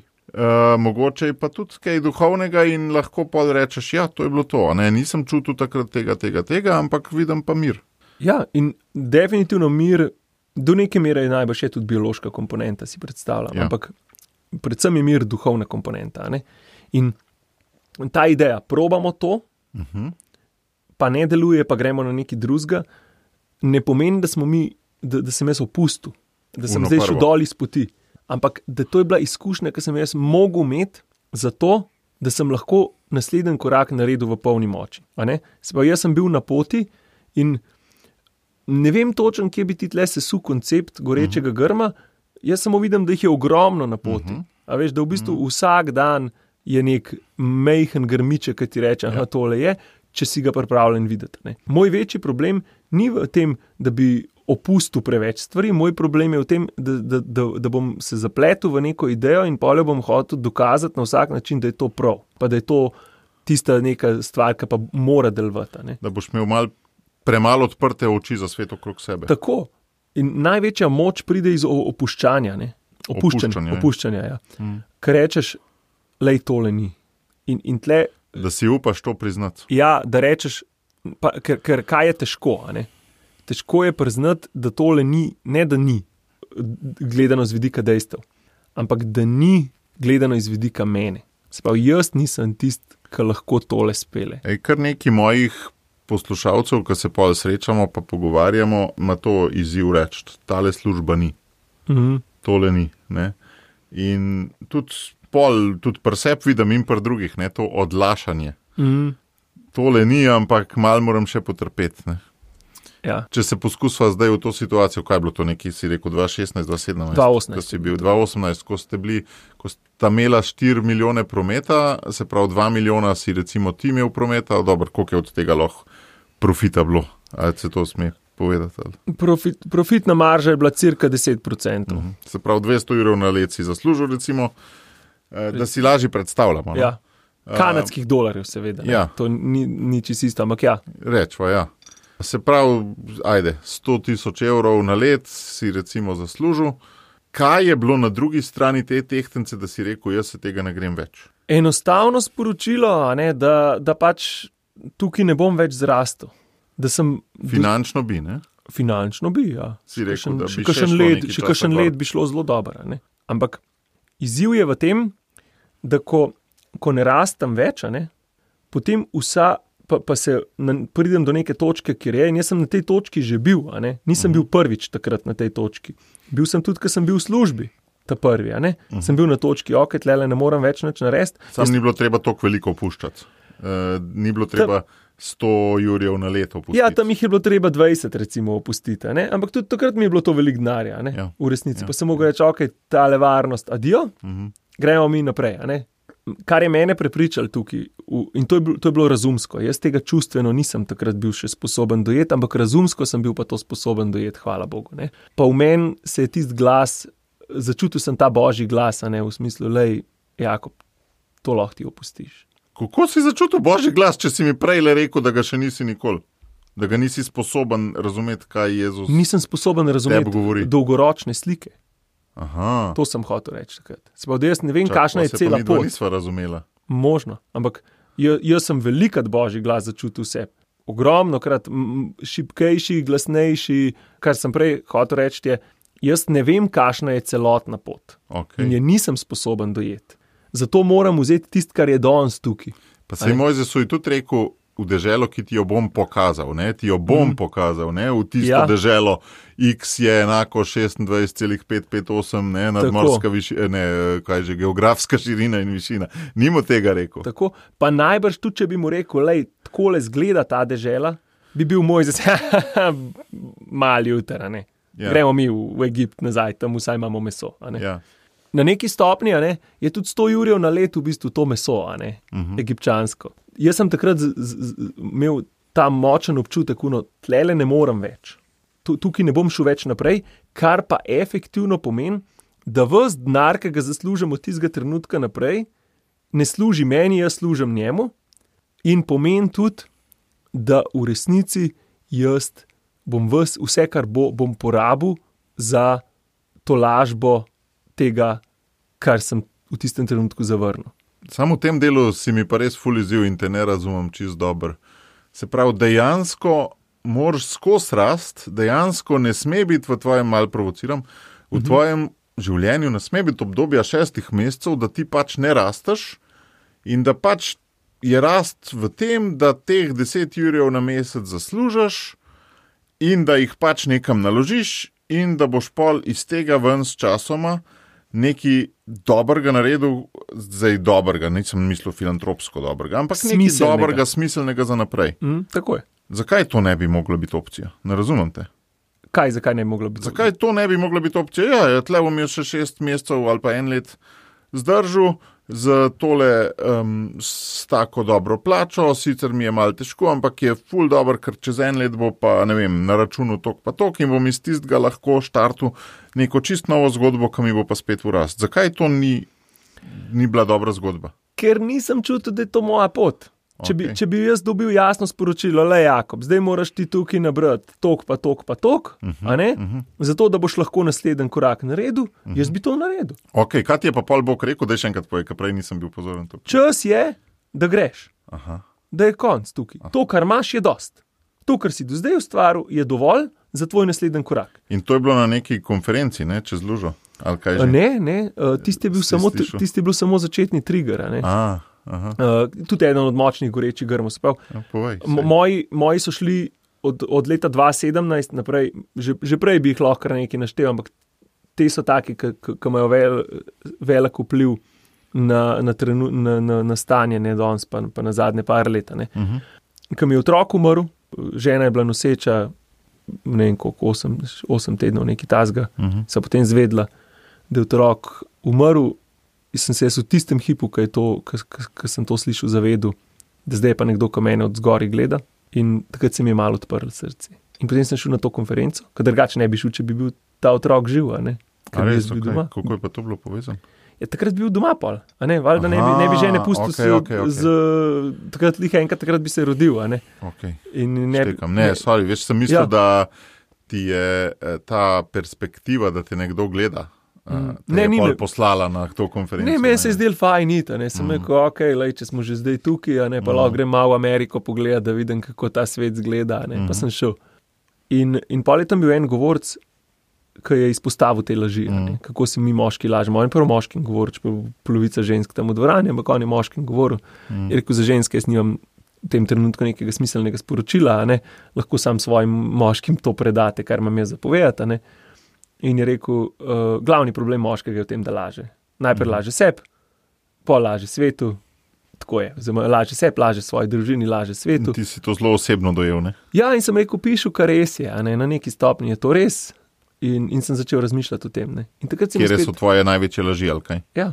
Mogoče je pa tudi kaj duhovnega in lahko pa rečeš, ja, to je bilo to. Ne? Nisem čutil takrat tega, ampak vidim pa mir. Ja, in definitivno mir, do neke mere je najbolj še tudi biološka komponenta, si predstavljam. Ja. Ampak predvsem je mir duhovna komponenta. Ne? In ta ideja, probamo to, pa ne deluje, pa gremo na neki drugega, ne pomeni, da smo mi, da sem jaz opustil. Da sem zdaj šel dol iz poti. Ampak, da to je bila izkušnja, ki sem jaz mogel imeti zato, da sem lahko naslednji korak naredil v polni moči. Se pravi, jaz sem bil na poti in ne vem točno, kje bi ti tle sesul koncept gorečega grma, jaz samo vidim, da jih je ogromno na poti. A veš, da v bistvu vsak dan je nek majhen grmiček, ki ti reče, aha, tole je, če si ga pripravljen videti. Ne. Moj večji problem ni v tem, da bi opustil preveč stvari, moj problem je v tem, da bom se zapletel v neko idejo in polje bom hotel dokazati na vsak način, da je to prav, pa da je to tista neka stvar, ki pa mora delovati. Ne. Da boš imel premalo odprte oči za svet okrog sebe. Tako. In največja moč pride iz opuščanja. Ne. Opuščanja, ja. Ker rečeš, lej, tole ni. In tle... Da si upaš to priznati. Ja, da rečeš, pa, ker kaj je težko, a ne? Težko je priznati, da tole ni, ne da ni, gledano z vidika dejstev, ampak da ni gledano iz vidika mene. Se pravi, jaz nisem tist, ki lahko tole spele. Kar neki mojih poslušalcev, ki se pol srečamo, pa pogovarjamo, ima to izziv reči, tale služba ni. tole ni. Ne? In tudi pri sebi vidim in pri drugih, ne? To odlašanje. Tole ni, ampak malo moram še potrpeti. Ne? Ja. Če se poskusva zdaj v to situacijo, kaj je bilo to nekaj, si rekel, 2016, 2017? 2018. Ko si bil 2018, ko sta imela 4 milijone prometa, se pravi 2 milijona si recimo ti imel prometa, dobro, koliko je od tega lahko profita bilo? Ali se to sme povedati? Profitna marža je bila cirka 10%. Se pravi 200 € na let si zaslužil recimo, da si lažje predstavljamo. Ja. Kanadskih dolarjev seveda. Ja. To ni čisto isto, ampak ja. Rečva, ja. Se pravi, 100 000 € na let si recimo zaslužil. Kaj je bilo na drugi strani te tehtence, da si rekel, jaz se tega ne grem več? Enostavno sporočilo, da pač tukaj ne bom več zrastel. Finančno bi, ne? Finančno bi, ja. Si rekel, da bi še kakšen let bi šlo zelo dobro. Ampak izziv je v tem, da ko ne rastem več, potem pa se pridem do neke točke, kjer je, in jaz sem na tej točki že bil, nisem bil prvič takrat na tej točki. Bil sem tudi, ko sem bil v službi, ta prvi, sem bil na točki, tlele ne morem več nič narediti. Ni bilo treba toliko veliko opuščati. Ni bilo treba 100 € na leto opustiti. Ja, tam jih je bilo treba 20 recimo opustiti, ampak tudi takrat mi je bilo to veliko denarja, v resnici. Pa sem mogel reči, tale varnost, adijo, gremo mi naprej, Kar je mene prepričal tukaj, in to je bilo razumsko, jaz tega čustveno nisem takrat bil še sposoben dojeti, ampak razumsko sem bil pa to sposoben dojeti, hvala Bogu. Pa v meni se je tisti glas, začutil sem ta božji glas, v smislu, lej, Jakob, to lahko ti opustiš. Kako si začutil božji glas, če si mi prej le rekel, da ga še nisi nikoli? Da ga nisi sposoben razumeti, kaj Jezus Nisem sposoben razumeti dolgoročne slike. Aha. To sem hotel reči takrat. Se pa, da jaz ne vem, kakšna je cela pot. Nisva razumela. Možno, ampak jaz sem velikat božji glas začutil vse. Ogromno krat šibkejši, glasnejši, kar sem prej hotel reči je, jaz ne vem, kakšna je celotna pot. Okay. In je nisem sposoben dojeti. Zato moram vzeti tisto, kar je danes tukaj. Pa se Mojzesu je tudi rekel, v deželo, ki ti jo bom pokazal, ti jo bom pokazal, v tisto deželo, X je enako 26,558, nadmorska višina, geografska širina in višina. Ni mu tega rekel. Tako, pa najbrž tudi, če bi mu rekel, lej, takole zgleda ta dežela, bi bil Mojzes, mali jutra, Ja. Gremo mi v Egipt nazaj, tam vsaj imamo meso, Ja. Na neki stopni, je tudi 100 € na let v bistvu to meso, egipčansko. Jaz sem takrat imel ta močen občutek, tlele ne morem več. Tukaj ne bom šel več naprej, kar pa efektivno pomeni, da ves denar, ki ga zaslužim od tistega trenutka naprej, ne služi meni, jaz služim njemu, in pomeni tudi, da v resnici jaz bom vse, kar bom porabil za to lažbo tega, kar sem v tistem trenutku zavrnil. Samo v tem delu si mi pa res ful izziv in te ne razumem čisto dobro. Se pravi, dejansko moraš skozi rast, dejansko ne sme biti v tvojem, malo provociram, v tvojem življenju ne sme biti obdobja 6 mesecev, da ti pač ne rasteš in da pač je rast v tem, da teh 10 € na mesec zaslužiš in da jih pač nekam naložiš in da boš pol iz tega ven s časoma nekaj dobrega naredil, zdaj dobrega, nisem mislil filantropsko dobrega, ampak nekaj dobrega, smiselnega za naprej. Tako je. Zakaj to ne bi mogla biti opcija? Ne razumem te. Zakaj ne bi mogla biti? Zakaj to ne bi mogla biti opcija? Ja, tle bom jaz še 6 mesecev ali pa 1 let zdržal z tole s tako dobro plačo, sicer mi je malo težko, ampak je ful dobro, ker čez 1 let bo pa, ne vem, na računu tok pa tok in bom iz tistega lahko štartu neko čist novo zgodbo, ki mi bo pa spet v rast. Zakaj to ni bila dobra zgodba? Ker nisem čutil, da je to moja pot. Če bi jaz dobil jasno sporočilo, le Jakob, zdaj moraš ti tukaj nabrati tok pa tok pa tok, zato da boš lahko naslednji korak naredil, jaz bi to naredil. Ok, kaj ti je pa pol Bog rekel, da je še enkrat povej, ker prej nisem bil pozoren tukaj. Čas je, da greš, da je konc tukaj. To, kar imaš, je dost. To, kar si do zdaj ustvaril, je dovolj za tvoj naslednji korak. In to je bilo na neki konferenci, čez lužo? Ali kaj že? Ne, tisti je bil samo začetni trigger, tudi eden od močnih gorečih grmov. Moji so šli od leta 2017 naprej, že prej bi jih lahko nekaj naštel, ampak te so taki, ki imajo velik vpliv na stanje, ne danes, pa na zadnje par leta. Ko mi je otrok umrl, žena je bila noseča, ne vem koliko, 8 tednov, nekaj tazga, sem potem zvedla, da je otrok umrl, in sem se v tistem hipu, ko sem to slišal, zavedel, da zdaj pa nekdo, ko mene od zgori gleda, in takrat se mi je malo odprlo srce. In potem sem šel na to konferenco, ker drugače ne bi šel, če bi bil ta otrok živ, a ne? Res, okay. Kako je pa to bilo povezano? Ja, takrat bi bil doma pol, a ne? Valjda ne bi žene pustil takrat bi se rodil, a ne? Okay. Sorry, veš, sem mislil, da ti je ta perspektiva, da te nekdo gleda, te je pol poslala na to konferenco. Ne, meni se je zdel fajn iti, ne, sem rekel, če smo že zdaj tukaj, a ne, pa lahko grem malo v Ameriko pogledati, da vidim, kako ta svet zgleda, ne, pa sem šel. In pol je tam bil en govorc, ki je izpostavil te laži, kako si mi moški lažemo. On je prvo moškim govoril, če pa polovica žensk tam v dvorani, ampak on je moškim govoril. Je rekel, za ženske jaz nimam v tem trenutku nekega smiselnega sporočila, a ne, lahko sam svojim moškim to predate, kar imam jaz zapovedati, a ne. In je rekel, glavni problem moškega je v tem, da laže. Najprej laže sebi, pol laže svetu, tako je. Laže sebi, laže svoji družini, laže svetu. In ti si to zelo osebno dojel, ne? Ja, in sem rekel, pišu, kar res je, a ne, na neki stopni je to res. In sem začel razmišljati o tem, ne. Kjere so tvoje največje laži, ali kaj? Ja.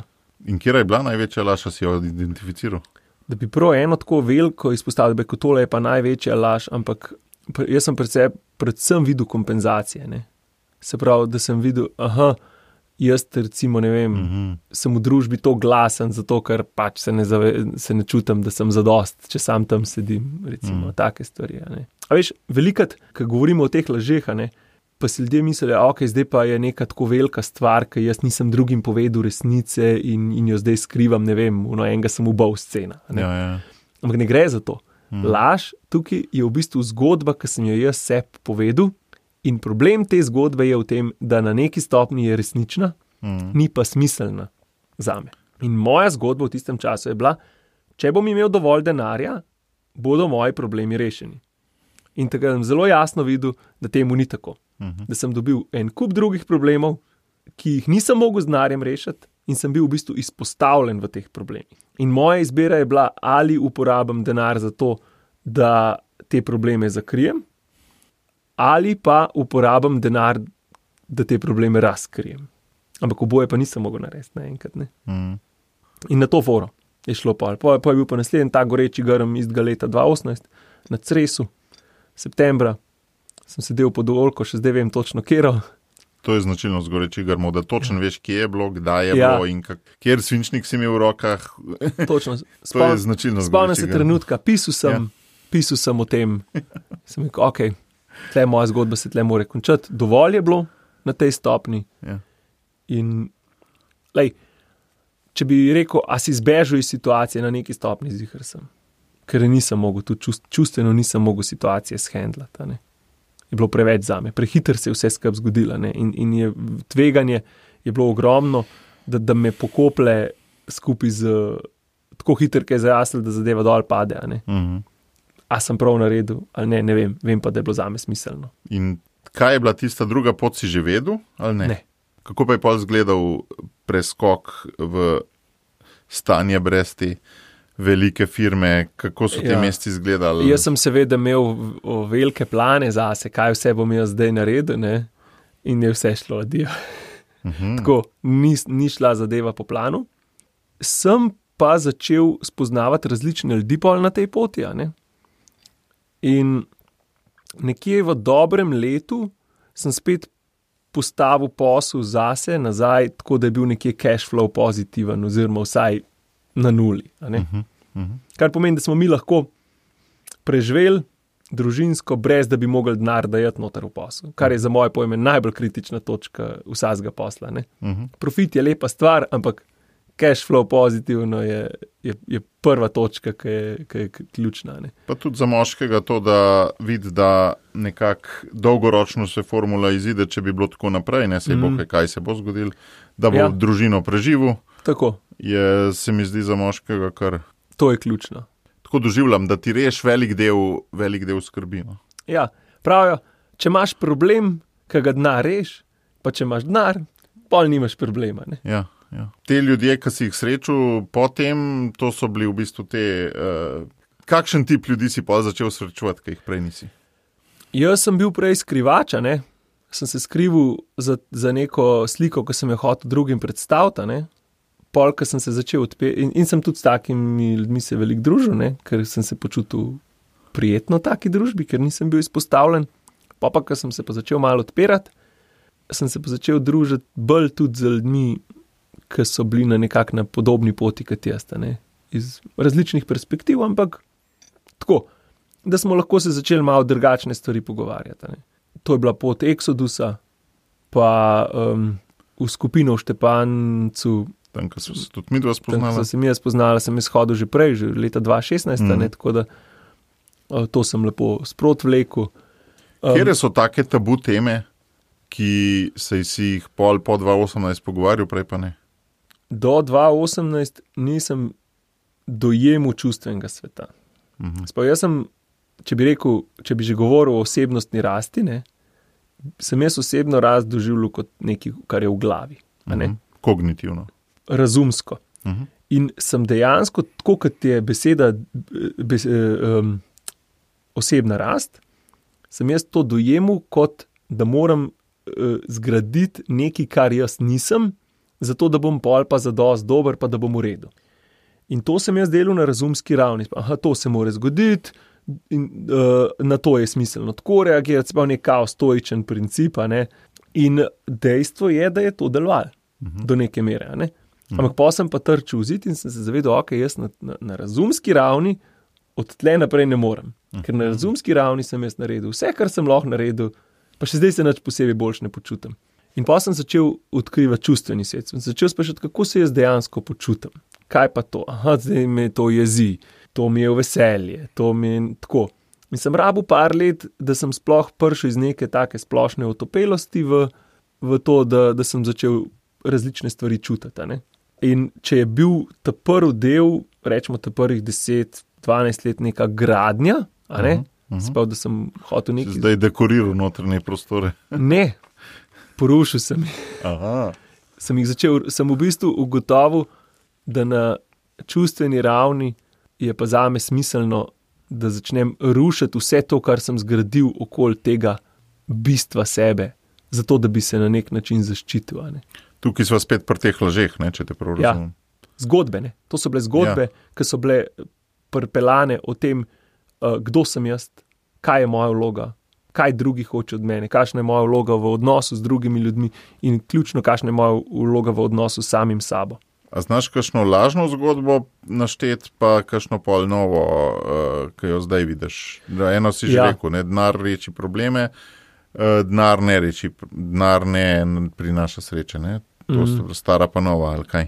In kjera je bila največja laž, a si jo identificiral? Da bi prav eno tako veliko izpostavil, da bi tole je pa največja laž, ampak jaz sem predvsem videl kompenzacije, ne. Se pravi, da sem videl, jaz recimo, ne vem, sem v družbi to glasen, zato ker pač se ne čutim, da sem zadost, če sam tam sedim, recimo, take stvari, a ne. A veš, velikrat, ko govorimo o teh lažeh, a ne, pa si ljudje mislijo, zdaj pa je neka tako velika stvar, ki jaz nisem drugim povedal resnice in jo zdaj skrivam, ne vem, enega sem ubal scena. Ja. Ampak ne gre za to. Laž tukaj je v bistvu zgodba, ki sem jo jaz sebi povedal, in problem te zgodbe je v tem, da na neki stopni je resnična, ni pa smiselna zame. In moja zgodba v tistem času je bila, če bom imel dovolj denarja, bodo moji problemi rešeni. In takrat sem zelo jasno videl, da temu ni tako. Da sem dobil en kup drugih problemov, ki jih nisem mogel z denarjem rešiti, in sem bil v bistvu izpostavljen v teh problemih. In moja izbira je bila, ali uporabim denar za to, da te probleme zakrijem, ali pa uporabim denar, da te probleme razkrijem. Ampak oboje pa nisem mogel narediti naenkrat, ne. In na to foro je šlo pa. Pa je bil pa naslednji ta goreči grm istega leta 2018 na Cresu, septembra. Sem sedel pod oljko, še zdaj vem točno kjero. To je značilnost gorečih grmov, da točno veš, kje je bilo, kdaj je bilo in kjer svinčnik si imel v rokah. Točno. To je značilnost spomnim se trenutka, pisal sem o tem. Sem rekel, tle moja zgodba se tle mora končati. Dovolj je bilo na tej stopni. Ja. In če bi rekel, a si zbežal iz situacije na neki stopni, ziher sem. Ker nisem mogel, tudi čustveno nisem mogel situacije shendlati, ne. Je bilo preveč zame, prehiter se je vse skupaj zgodilo, ne, in je tveganje je bilo ogromno, da me pokople skupaj z tako hiter, ki je zajasnil, da zadeva dol pade, a ne. A sem prav naredil, ali ne vem pa, da je bilo zame smiselno. In kaj je bila tista druga pot, si že vedel, ali ne? Ne. Kako pa je pol izgledal preskok v stanje brez te velike firme, kako so ti meseci izgledali? Jaz sem seveda imel velike plane zase, kaj vse bom jaz zdaj naredil, ne? In je vse šlo adijo. Tako, ni šla zadeva po planu. Sem pa začel spoznavati različne ljudi pol na tej poti, a ne? In nekje v dobrem letu sem spet postavil posel zase nazaj, tako da je bil nekje cash flow pozitiven, oziroma vsaj na nuli. A ne? Kar pomeni, da smo mi lahko preživeli družinsko, brez da bi mogli denar dajati noter v posel. Kar je za moje pojme najbolj kritična točka vsakega posla. Ne? Profit je lepa stvar, ampak cash flow pozitivno je prva točka, ki je ključna. Ne? Pa tudi za moškega to, da vidi, da nekako dolgoročno se formula izide, če bi bilo tako naprej, ne sej bo kaj se bo zgodilo, da bo družino preživel. Tako. Se mi zdi za moškega kar... To je ključno. Tako doživljam, da ti reš velik del skrbi. No? Ja, pravijo, če imaš problem, ki ga denar reš, pa če imaš denar, pol nimaš problema. Ne? Ja. Te ljudje, ki si jih srečal potem, to so bili v bistvu te... kakšen tip ljudi si pa začel srečevati, ki jih prej nisi? Jaz sem bil prej skrivača, ne? Sem se skrival za neko sliko, ki sem jo hotel drugim predstaviti, ne? Pol, ko sem se začel in sem tudi s takimi ljudmi se veliko družil, ne? Ker sem se počutil prijetno v taki družbi, ker nisem bil izpostavljen. Pa, ko sem se pa začel malo odpirati, sem se pa začel družiti bolj tudi z ljudmi, ki so bili na podobni poti kot jaz, ne? Iz različnih perspektiv, ampak tako, da smo lahko se začeli malo drugačne stvari pogovarjati. Ne? To je bila pot Exodusa, pa v skupino v Štepancu. Tam, ko so se tudi midva spoznala. Tam, ko sem jaz spoznala, sem izhodil že prej, že leta 2016, ne? Tako da to sem lepo sprot vlekel. Kjere so take tabu teme, ki se si jih po 2018 pogovarjal, prej pa ne? Do 2018 nisem dojemal čustvenega sveta. Jaz sem, če bi že govoril o osebnostni rasti, ne, sem jaz osebno rast doživljal kot nekaj, kar je v glavi. Ne? Kognitivno. Razumsko. In sem dejansko, tako kot je beseda osebna rast, sem jaz to dojemal kot, da moram zgraditi nekaj, kar jaz nisem, zato da bom pol pa zadosti dober, pa da bom v redu. In to sem jaz delal na razumski ravni. To se mora zgoditi in na to je smiselno tako reagirati, pa nek stoičen princip. Ne? In dejstvo je, da je to delovalo do neke mere. Ne? Ampak pa sem pa trčil v zid in sem se zavedal, ok, jaz na razumski ravni od tle naprej ne morem. Ker na razumski ravni sem jaz naredil vse, kar sem lahko naredil, pa še zdaj se nič posebej boljš ne počutim. In pa sem začel odkrivati čustveni svet. Sem začel sprašati, kako se jaz dejansko počutim. Kaj pa to? Zdaj me to jezi, to mi je v veselje, to mi je tako. In sem rabil par let, da sem sploh prišel iz neke take splošne otopelosti v to, da sem začel različne stvari čutiti. Ne? In če je bil ta prvi del, rečemo ta prvih 10-12 let neka gradnja, sploh, da sem hotel nekaj... Zdaj dekoriral notranje prostore. Ne, porušil sem jih. Sem v bistvu ugotovil, da na čustveni ravni je pa zame smiselno, da začnem rušiti vse to, kar sem zgradil okoli tega bistva sebe, zato da bi se na nek način zaščitil. Ne? Tukaj sva spet pri teh lažeh, ne, če te prav razumem. Zgodbe, ne. To so bile zgodbe, ki so bile prepelane o tem, kdo sem jaz, kaj je moja vloga, kaj drugi hoče od mene, kakšna je moja vloga v odnosu z drugimi ljudmi in ključno, kakšna je moja vloga v odnosu s samim sabo. A znaš kakšno lažno zgodbo naštet, pa kakšno pol novo, ki jo zdaj vidiš? Eno si že rekel, ne, denar reči probleme, denar ne prinaša sreče, ne? To so stara pa nova, ali kaj?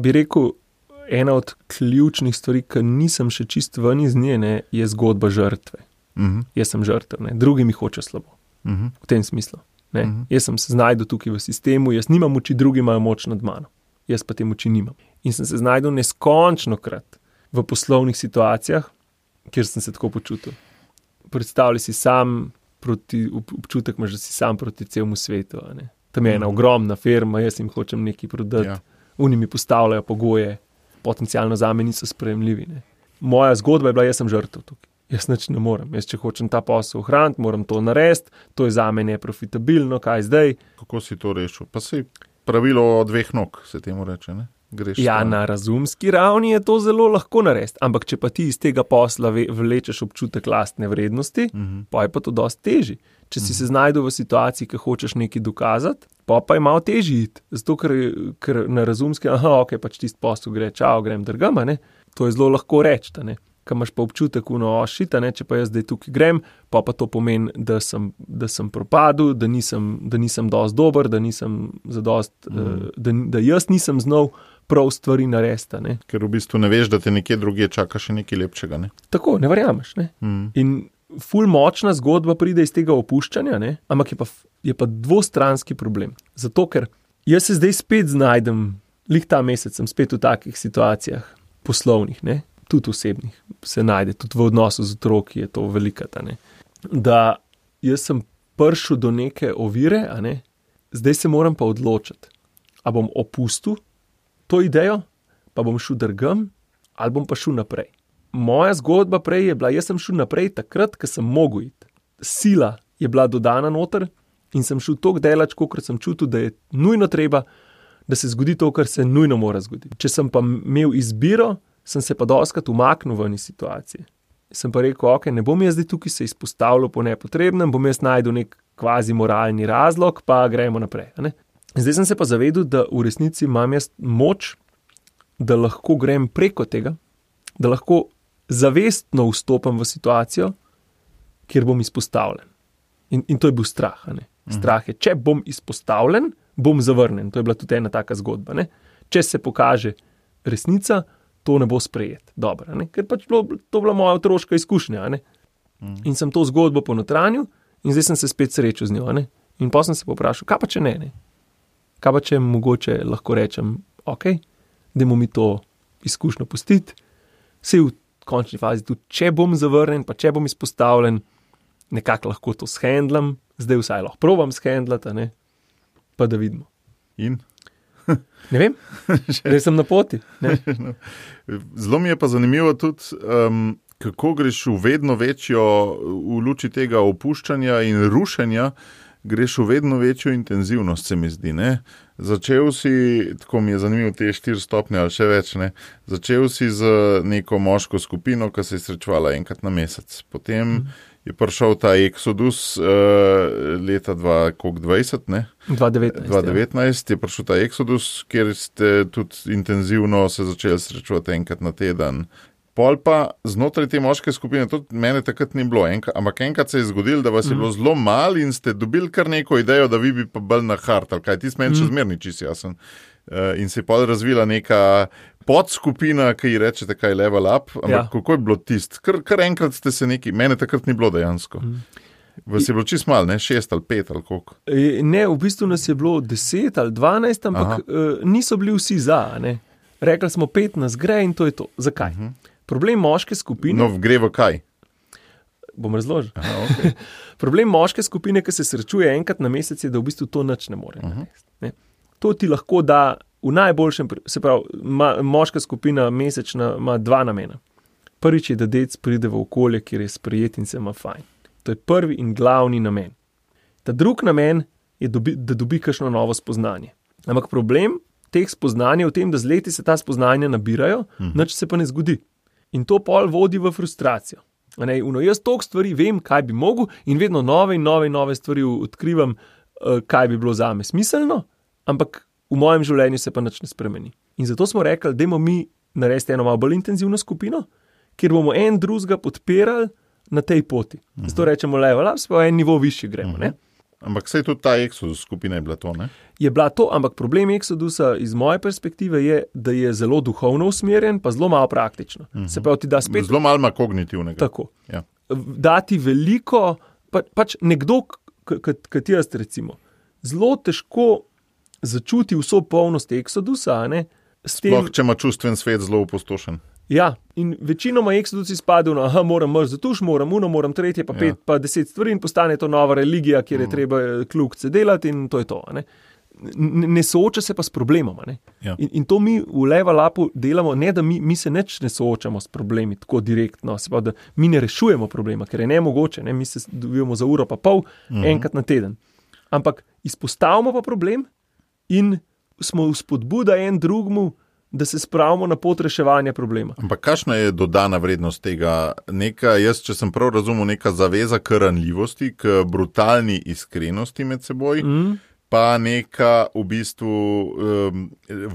Bi rekel, ena od ključnih stvari, ki nisem še čist ven iz nje, ne, je zgodba žrtve. Jaz sem žrtev, ne, drugi mi hoče slabo. V tem smislu. Ne. Jaz sem se znajdel tukaj v sistemu, jaz nimam moči, drugi imajo moč nad mano. Jaz pa te moči nimam. In sem se znajdel neskončnokrat v poslovnih situacijah, kjer sem se tako počutil. Predstavljaj si sam občutek, imaš, da si sam proti celemu svetu. Ne. Tam je ena ogromna firma, jaz jim hočem nekaj prodati, oni mi postavljajo pogoje, potencialno zame niso sprejemljivi. Ne. Moja zgodba je bila, jaz sem žrtev tukaj. Jaz nič ne morem. Jaz, če hočem ta posel ohraniti, moram to narediti, to je zame neprofitabilno, kaj zdaj? Kako si to rešil? Pa si pravilo o dveh nog, se temu reče, ne? Greš na razumski ravni je to zelo lahko narediti, ampak če pa ti iz tega posla vlečeš občutek lastne vrednosti, pa je pa to dosti težji. Če si se znajdel v situaciji, ki hočeš nekaj dokazati, pa je malo težji iti. Zato, ker na razumski, ok, pač tisti posel gre, čao, grem drgama, ne? To je zelo lahko reči, ne? Ko imaš pa občutek, če pa jaz zdaj tukaj grem, pa to pomeni, da sem propadel, da nisem dosti dober, da nisem zadost, da jaz nisem znal prav stvari narediti. Ne? Ker v bistvu ne veš, da te nekje drugje čaka še nekaj lepšega. Ne? Tako, ne verjameš. Ne? In ful močna zgodba pride iz tega opuščanja, ne? Ampak je pa dvostranski problem. Zato, ker jaz se zdaj spet znajdem, lih ta mesec sem spet v takih situacijah poslovnih, ne? Tudi osebnih se najde, tudi v odnosu z otroki je to velika, da jaz sem prišel do neke ovire, zdaj se moram pa odločiti, a bom opustil to idejo, pa bom šel drugam, ali bom pa šel naprej. Moja zgodba prej je bila, jaz sem šel naprej takrat, ko sem mogel iti. Sila je bila dodana noter in sem šel toliko delač, kolikor sem čutil, da je nujno treba, da se zgodi to, kar se nujno mora zgoditi. Če sem pa imel izbiro, sem se pa dostakrat umaknil v eni situaciji. Sem pa rekel, ok, ne bom jaz zdaj tukaj se izpostavljal po nepotrebnem, bom jaz najdel nek kvazi moralni razlog, pa gremo naprej. Zdaj sem se pa zavedel, da v resnici imam jaz moč, da lahko grem preko tega, da lahko zavestno vstopam v situacijo, kjer bom izpostavljen. In to je bil strah. Strah je, če bom izpostavljen, bom zavrnen. To je bila tudi ena taka zgodba. Če se pokaže resnica, to ne bo sprejet. Dobro, ker pač to bila moja otroška izkušnja. In sem to zgodbo ponotranil in zdaj sem se spet srečal z njo. In potem sem se poprašal, kaj pa če ne? Kaj pa če mogoče lahko rečem, ok, dajmo mi to izkušnjo pustiti, saj v končni fazi tudi, če bom zavrnen, pa če bom izpostavljen, nekako lahko to shendlam, zdaj vsaj lahko probam shendlati, pa da vidimo. In? Ne vem, zdaj sem na poti. Zelo mi je pa zanimivo tudi, kako greš v vedno večjo, v luči tega opuščanja in rušenja, greš v vedno večjo intenzivnost, se mi zdi. Začel si, tako mi je zanimivo, te 4 stopnje ali še več, začel si z neko moško skupino, ki se je srečevala enkrat na mesec. Potem je prišel ta Exodus leta 2020, 2019 je prišel ta Exodus, kjer ste tudi intenzivno se začeli srečevati enkrat na teden. Pol pa znotraj te moške skupine, tudi mene takrat ni bilo, ampak enkrat se je zgodilo, da vas je bilo zelo malo in ste dobili kar neko idejo, da vi bi pa bolj na hard, ali kaj, ti meni še zmerni čisto jasen. In se je pol razvila neka podskupina, ki ji rečete kaj level up, ampak kako je bilo tist? Kar enkrat ste se neki, mene takrat ni bilo dejansko. Vas je bilo čisto malo, 6 ali 5 ali koliko? Ne, v bistvu nas je bilo 10 ali 12, ampak niso bili vsi za, Rekli smo 5 nas gre in to je to. Zakaj? Problem moške skupine... No, gre v kaj? Bom razložil. Okay. Problem moške skupine, ki se srečuje enkrat na mesec, je, da v bistvu to nič ne more narediti. To ti lahko da v najboljšem... Se pravi, moška skupina mesečna ima 2 namena. Prvič je, da dec pride v okolje, kjer je sprejet in se ima fajn. To je prvi in glavni namen. Ta drug namen je, da dobi kakšno novo spoznanje. Ampak problem teh spoznanj je v tem, da z leti se ta spoznanja nabirajo, nič se pa ne zgodi. In to pol vodi v frustracijo. Jaz toliko stvari vem, kaj bi mogel in vedno nove stvari odkrivam, kaj bi bilo zame smiselno, ampak v mojem življenju se pa nič ne spremeni. In zato smo rekli, dajmo mi narediti eno malo bolj intenzivno skupino, kjer bomo en drugega podpirali na tej poti. Zato rečemo level up, pa en nivo višji gremo. Ampak saj tudi ta Exodus skupina je bila to, Je bila to, ampak problem Exodusa iz moje perspektive je, da je zelo duhovno usmerjen, pa zelo malo praktično. Se pravi, ti da spet... Zelo malo ima kognitivnega. Tako. Ja. Dati veliko, pač nekdo, kot jaz recimo, zelo težko začuti vso polnost Exodusa, Sploh, če ima čustven svet zelo opustošen. Ja, in večinoma Exodus izpade, moram mrz za tuš, moram tretje, pa 5, pa 10 stvari in postane to nova religija, kjer je treba kljukce delati in to je to. Ne sooča se pa s problemom. In to mi v level upu delamo, ne da mi se neč ne soočamo s problemi tako direktno, se pa da mi ne rešujemo problema, ker je nemogoče, mi se dobivamo za uro pa pol, enkrat na teden. Ampak izpostavimo pa problem in smo vzpodbuda en drugmu, da se spravimo na pot reševanja problema. Ampak kakšna je dodana vrednost tega? Jaz, če sem prav razumel, neka zaveza k ranljivosti, k brutalni iskrenosti med seboj, pa neka v bistvu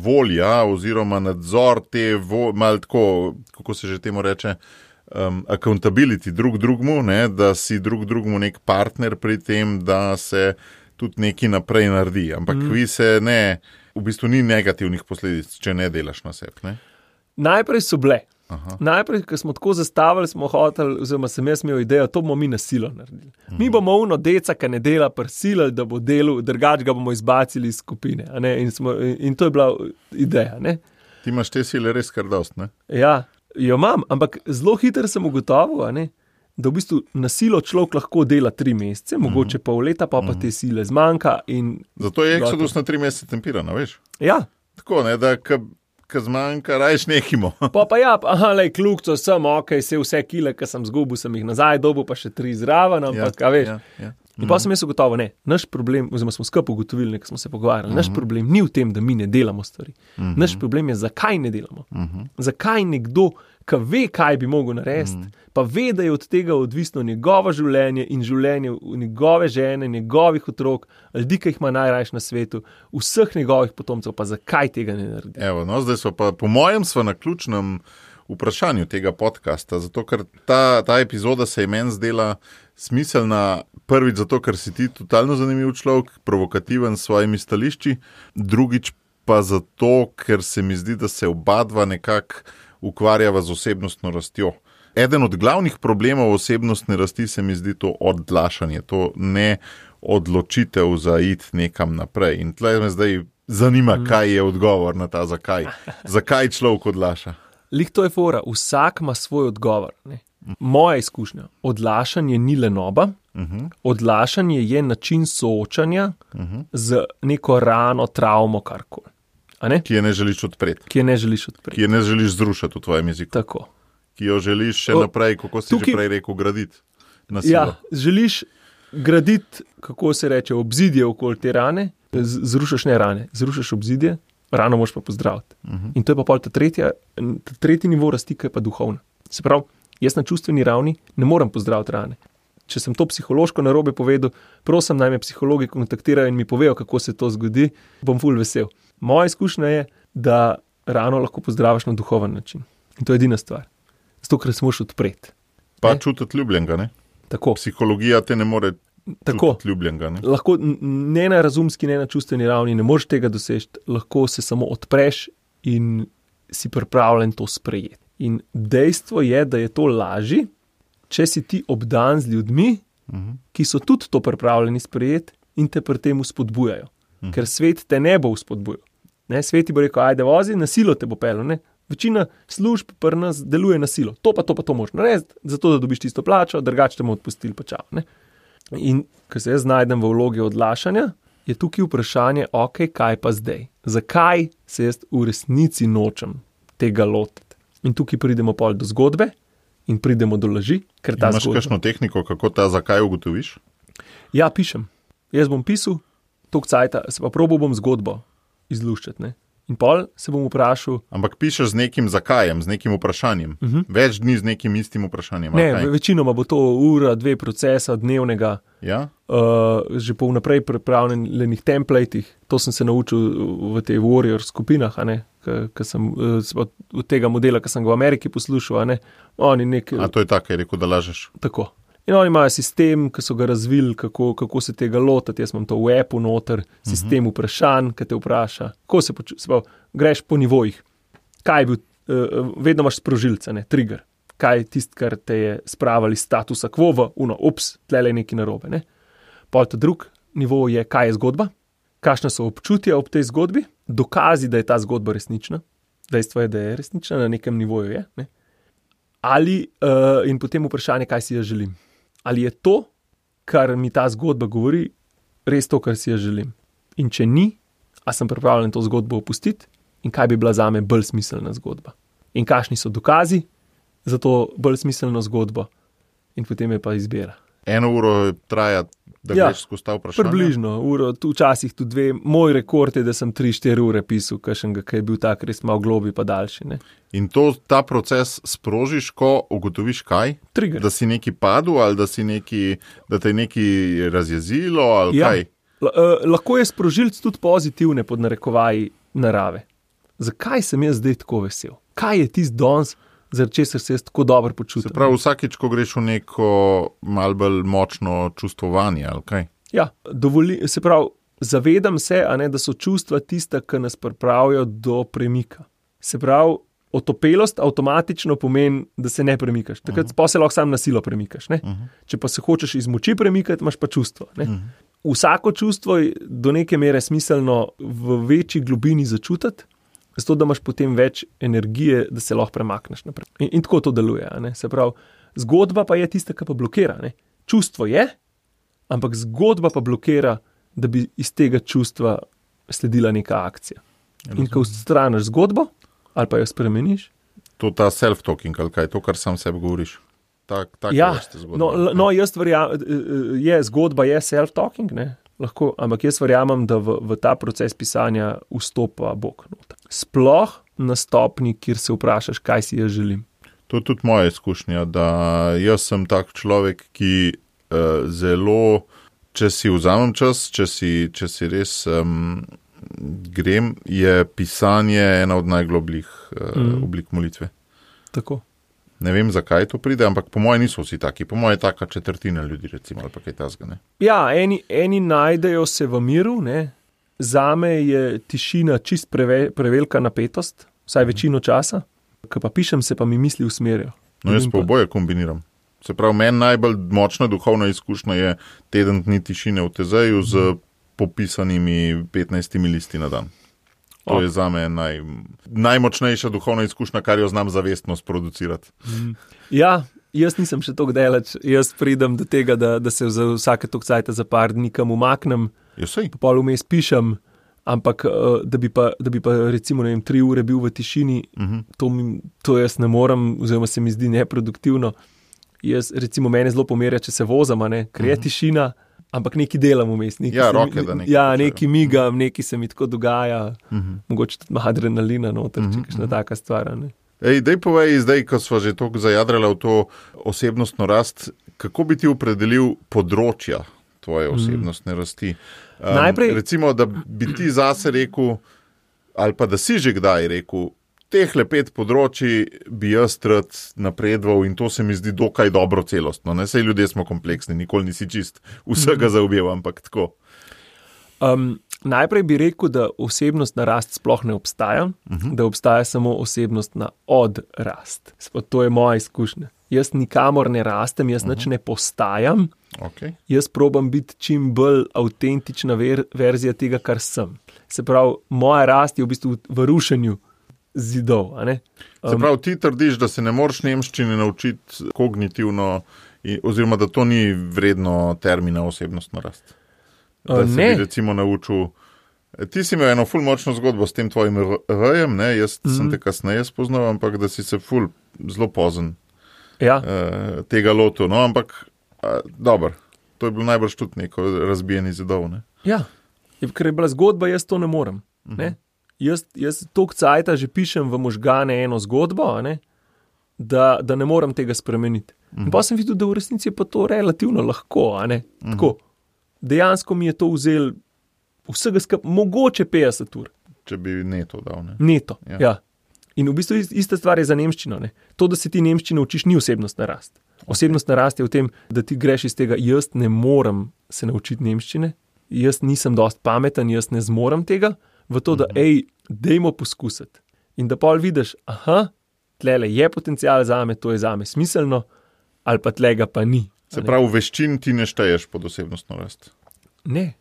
volja oziroma nadzor te, malo tako, kako se že temu reče, accountability drugmu, da si drugmu nek partner pri tem, da se tudi nekaj naprej naredi. Ampak vi se v bistvu ni negativnih posledic, če ne delaš na sebi. Najprej so bile. Najprej, ko smo tako zastavili, smo hoteli, oziroma sem jaz imel idejo, to bomo mi na silo naredili. Mi bomo deca, ki ne dela, prisilili, da bo delal, drugače ga bomo izbacili iz skupine. In to je bila ideja. Ti imaš te sile res kar dost, Ja, jo imam, ampak zelo hitro sem ugotovil, da v bistvu na silo človek lahko dela 3 mesece, mogoče pol leta, pa te sile zmanjka. Zato je Exodus na 3 mesece tempiran, veš? Ja. Tako, ne, da ko zmanjka, rajš nehimo. Pa ja, kljukco sem, vse kile, ki sem zgubil, sem jih nazaj dobil, pa še 3 zraven, ampak, veš. Ja. In pa sem jaz ugotovil, ne, naš problem, oziroma smo skupaj ugotovili, ko smo se pogovarjali, naš problem ni v tem, da mi ne delamo stvari. Naš problem je, zakaj ne delamo. Zakaj nekdo, ki ve, kaj bi mogel narediti, pa ve, da je od tega odvisno njegovo življenje in življenje njegove žene, njegovih otrok, ljudi, ki jih ima najrajš na svetu, vseh njegovih potomcev, pa zakaj tega ne naredi. Evo, no, zdaj smo pa, po mojem, smo na ključnem vprašanju tega podcasta, zato ker ta epizoda se je meni zdela smiselna, prvič zato, ker si ti totalno zanimiv človek, provokativen s svojimi stališči, drugič pa zato, ker se mi zdi, da se obadva nekako ukvarjava z osebnostno rastjo. Eden od glavnih problemov osebnostne rasti se mi zdi to odlašanje, to ne odločitev za iti nekam naprej. In tle me zdaj zanima, kaj je odgovor na ta zakaj. Zakaj človek odlaša? Lih to je fora, vsak ima svoj odgovor. Ne? Moja izkušnja, odlašanje ni lenoba, odlašanje je način soočanja z neko rano, travmo, karkoli. Ki je ne želiš odpreti. Ki je ne želiš odpreti. Ki je ne želiš zrušiti v tvojem jeziku. Tako. Ki jo želiš še naprej, kako si že prej rekel, graditi na silo. Ja, želiš graditi, kako se reče, obzidje okoli te rane, zrušaš ne rane, zrušaš obzidje, rano moraš pa pozdraviti. In to je pa pol ta tretji nivo rasti, ki je pa duhovna. Se pravi, jaz na čustveni ravni ne morem pozdraviti rane. Če sem to psihološko narobe povedal, prosim, naj me psihologi kontaktirajo in mi povejo, kako se to zgodi, bom ful vesel. Moja izkušnja je, da rano lahko pozdraviš na duhoven način. In to je edina stvar. Zato, ker se moraš odpreti. Pa čutiti ljubljenega, ne? Tako. Psihologija te ne more čutiti ljubljenega, ne? Lahko ne na razumski, ne na čustveni ravni, ne moreš tega doseči, lahko se samo odpreš in si pripravljen to sprejeti. In dejstvo je, da je to lažje, če si ti obdan z ljudmi, ki so tudi to pripravljeni sprejeti in te pri tem spodbujajo. Ker svet te ne bo spodbujal. Svet ti bo rekel, ajde vozi, na silo te bo pelil. Večina služb pri nas deluje na silo. To moraš narediti, zato da dobiš tisto plačo, drugače te bomo odpustili pa čau. In ko se jaz znajdem v vlogi odlašanja, je tukaj vprašanje, kaj pa zdaj? Zakaj se jaz v resnici nočem tega lotiti? In tukaj pridemo pol do zgodbe in pridemo do laži. Imaš kakšno tehniko, kako ta zakaj ugotoviš? Ja, pišem. Jaz bom pisal, toliko cajta, se pa probal bom zgodbo izluščati. In pol se bom vprašal... Ampak pišeš z nekim zakajem, z nekim vprašanjem. Več dni z nekim istim vprašanjem. Ne, večinoma bo to ura, 2 procesa dnevnega. Ja? Že po vnaprej pripravljenih templatih. To sem se naučil v tej warrior skupinah, od tega modela, ki sem ga v Ameriki poslušal. A to je tako, je rekel, da lažeš. Tako. In oni imajo sistem, ki so ga razvili, kako se tega lotiti. Jaz imam to v appu noter, sistem vprašanj, ki te vpraša. Kako se počutiš? Greš po nivojih. Kaj je bil, vedno imaš sprožilce, trigger. Kaj je tisto, kar te je spravili statusa quo v tlele je nekaj narobe. Pol ta drug nivo je, kaj je zgodba, kakšna so občutja ob tej zgodbi, dokazi, da je ta zgodba resnična. Dejstvo je, da je resnična, na nekem nivoju je. In potem vprašanje, kaj si jaz želim. Ali je to, kar mi ta zgodba govori, res to, kar si jaz želim? In če ni, a sem pripravljen to zgodbo opustiti in kaj bi bila zame bolj smiselna zgodba? In kakšni so dokazi za to bolj smiselno zgodbo? In potem je pa izbira. 1 uro traja, da greš skozi ta vprašanja? Približno, uro, včasih tudi 2. Moj rekord je, da sem 3-4 ure pisal, kakšnega, ki je bil tak res malo globi pa daljši. In ta proces sprožiš, ko ugotoviš kaj? Trigger. Da si neki padel ali da te je neki razjezilo ali kaj? Lahko je sprožilc tudi pozitivne pod narekovaji narave. Zakaj sem jaz zdaj tako vesel? Kaj je tisti danes, zaradi česar se jaz tako dobro počutim? Se pravi, vsakič, ko greš v neko malo bolj močno čustvovanje, ali kaj? Ja, se pravi, zavedam se, da so čustva tista, ki nas pripravijo do premika. Se pravi, otopelost avtomatično pomeni, da se ne premikaš. Takrat pa se lahko sam na silo premikaš. Če pa se hočeš iz moči premikati, imaš pa čustvo. Vsako čustvo je do neke mere smiselno v večji globini začutiti zato da imaš potem več energije, da se lahko premakneš naprej. In tako to deluje. Se pravi, zgodba pa je tista, ki pa blokira. Ne? Čustvo je, ampak zgodba pa blokira, da bi iz tega čustva sledila neka akcija. In ko odstraniš zgodbo, ali pa jo spremeniš. To ta self-talking, ali kaj, to, kar sam sebi govoriš. Ja, jaz verjamem, zgodba je self-talking, ne? Lahko, ampak jaz verjamem, da v ta proces pisanja vstopa Bog noter. Sploh na stopni, kjer se vprašaš, kaj si jaz želim. To je tudi moja izkušnja, da jaz sem tak človek, ki zelo, če si vzamem čas, če si res grem, je pisanje ena od najglobljih oblik molitve. Tako. Ne vem, zakaj to pride, ampak po moje niso vsi taki. Po moje je taka četrtina ljudi, recimo, ali pa kaj tasga, ne. Ja, eni najdejo se v miru, ne. Zame je tišina čist prevelika napetost, vsaj večino časa. Ko pa pišem, se pa mi misli usmerijo. No, jaz pa oboje kombiniram. Se pravi, meni najbolj močna duhovna izkušnja je teden dni tišine v Tezeju z popisanimi 15 listi na dan. To je zame najmočnejša duhovna izkušnja, kar jo znam zavestno sproducirati. Ja, jaz nisem še toliko daleč. Jaz pridem do tega, da se za vsake toliko cajta za par dni kam umaknem, pol vmes pišem, ampak da bi pa recimo 3 ure bil v tišini, to jaz ne morem, oziroma se mi zdi neproduktivno. Jaz, recimo, mene zelo pomerja, če se vozam, ker je tišina, ampak nekaj delam vmes. Nekaj migam, nekaj se mi tako dogaja, mogoče tudi ima adrenalina noter, če kakšna taka stvar. Daj povej zdaj, ko sva že toliko zajadrala v to osebnostno rast, kako bi ti opredelil področja tvoje osebnostne rasti? Najprej, recimo, da bi ti zase rekel, ali pa da si že kdaj rekel, tehle 5 področji bi jaz rad napredoval in to se mi zdi dokaj dobro celostno. Ne? Sej ljudje smo kompleksni, nikoli nisi čist vsega zaobjel, ampak tako. Najprej bi rekel, da osebnostna rast sploh ne obstaja, da obstaja samo osebnostna odrast. To je moja izkušnja. Jaz nikamor ne rastem, jaz nič ne postajam. Okay. Jaz probam biti čim bolj avtentična verzija tega, kar sem. Se pravi, moja rast je v bistvu v rušenju zidov. Se pravi, ti trdiš, da se ne moreš nemščine naučiti kognitivno, oziroma da to ni vredno termina osebnostna rast. Da se bi recimo naučil. Ti si imel eno ful močno zgodbo s tem tvojim R-jem, ne? Jaz sem te kasneje spoznal, ampak da si se ful zelo pozen tega lotil. No, ampak dobro, to je bilo najbrž tudi neko razbijeni zidov. Ne? Ja, ker je bila zgodba, jaz to ne morem. Ne? Jaz toliko cajta že pišem v možgane eno zgodbo, da ne morem tega spremeniti. In pa sem videl, da v resnici je pa to relativno lahko. Tako. Dejansko mi je to vzel vsega mogoče 50 ur. Če bi neto dal. Ne? Neto, ja. In v bistvu ista stvar je za nemščino. Ne? To, da se ti nemščino učiš, ni osebnostna rast. Osebnostna rast je v tem, da ti greš iz tega, jaz ne morem se naučiti nemščine, jaz nisem dost pameten, jaz ne zmorem tega, v to, da dejmo poskusiti. In da pol vidiš, tlele je potencial zame, to je zame smiselno, ali pa tlega pa ni. Se pravi, veščin ti ne šteješ pod osebnostno rast? Ne.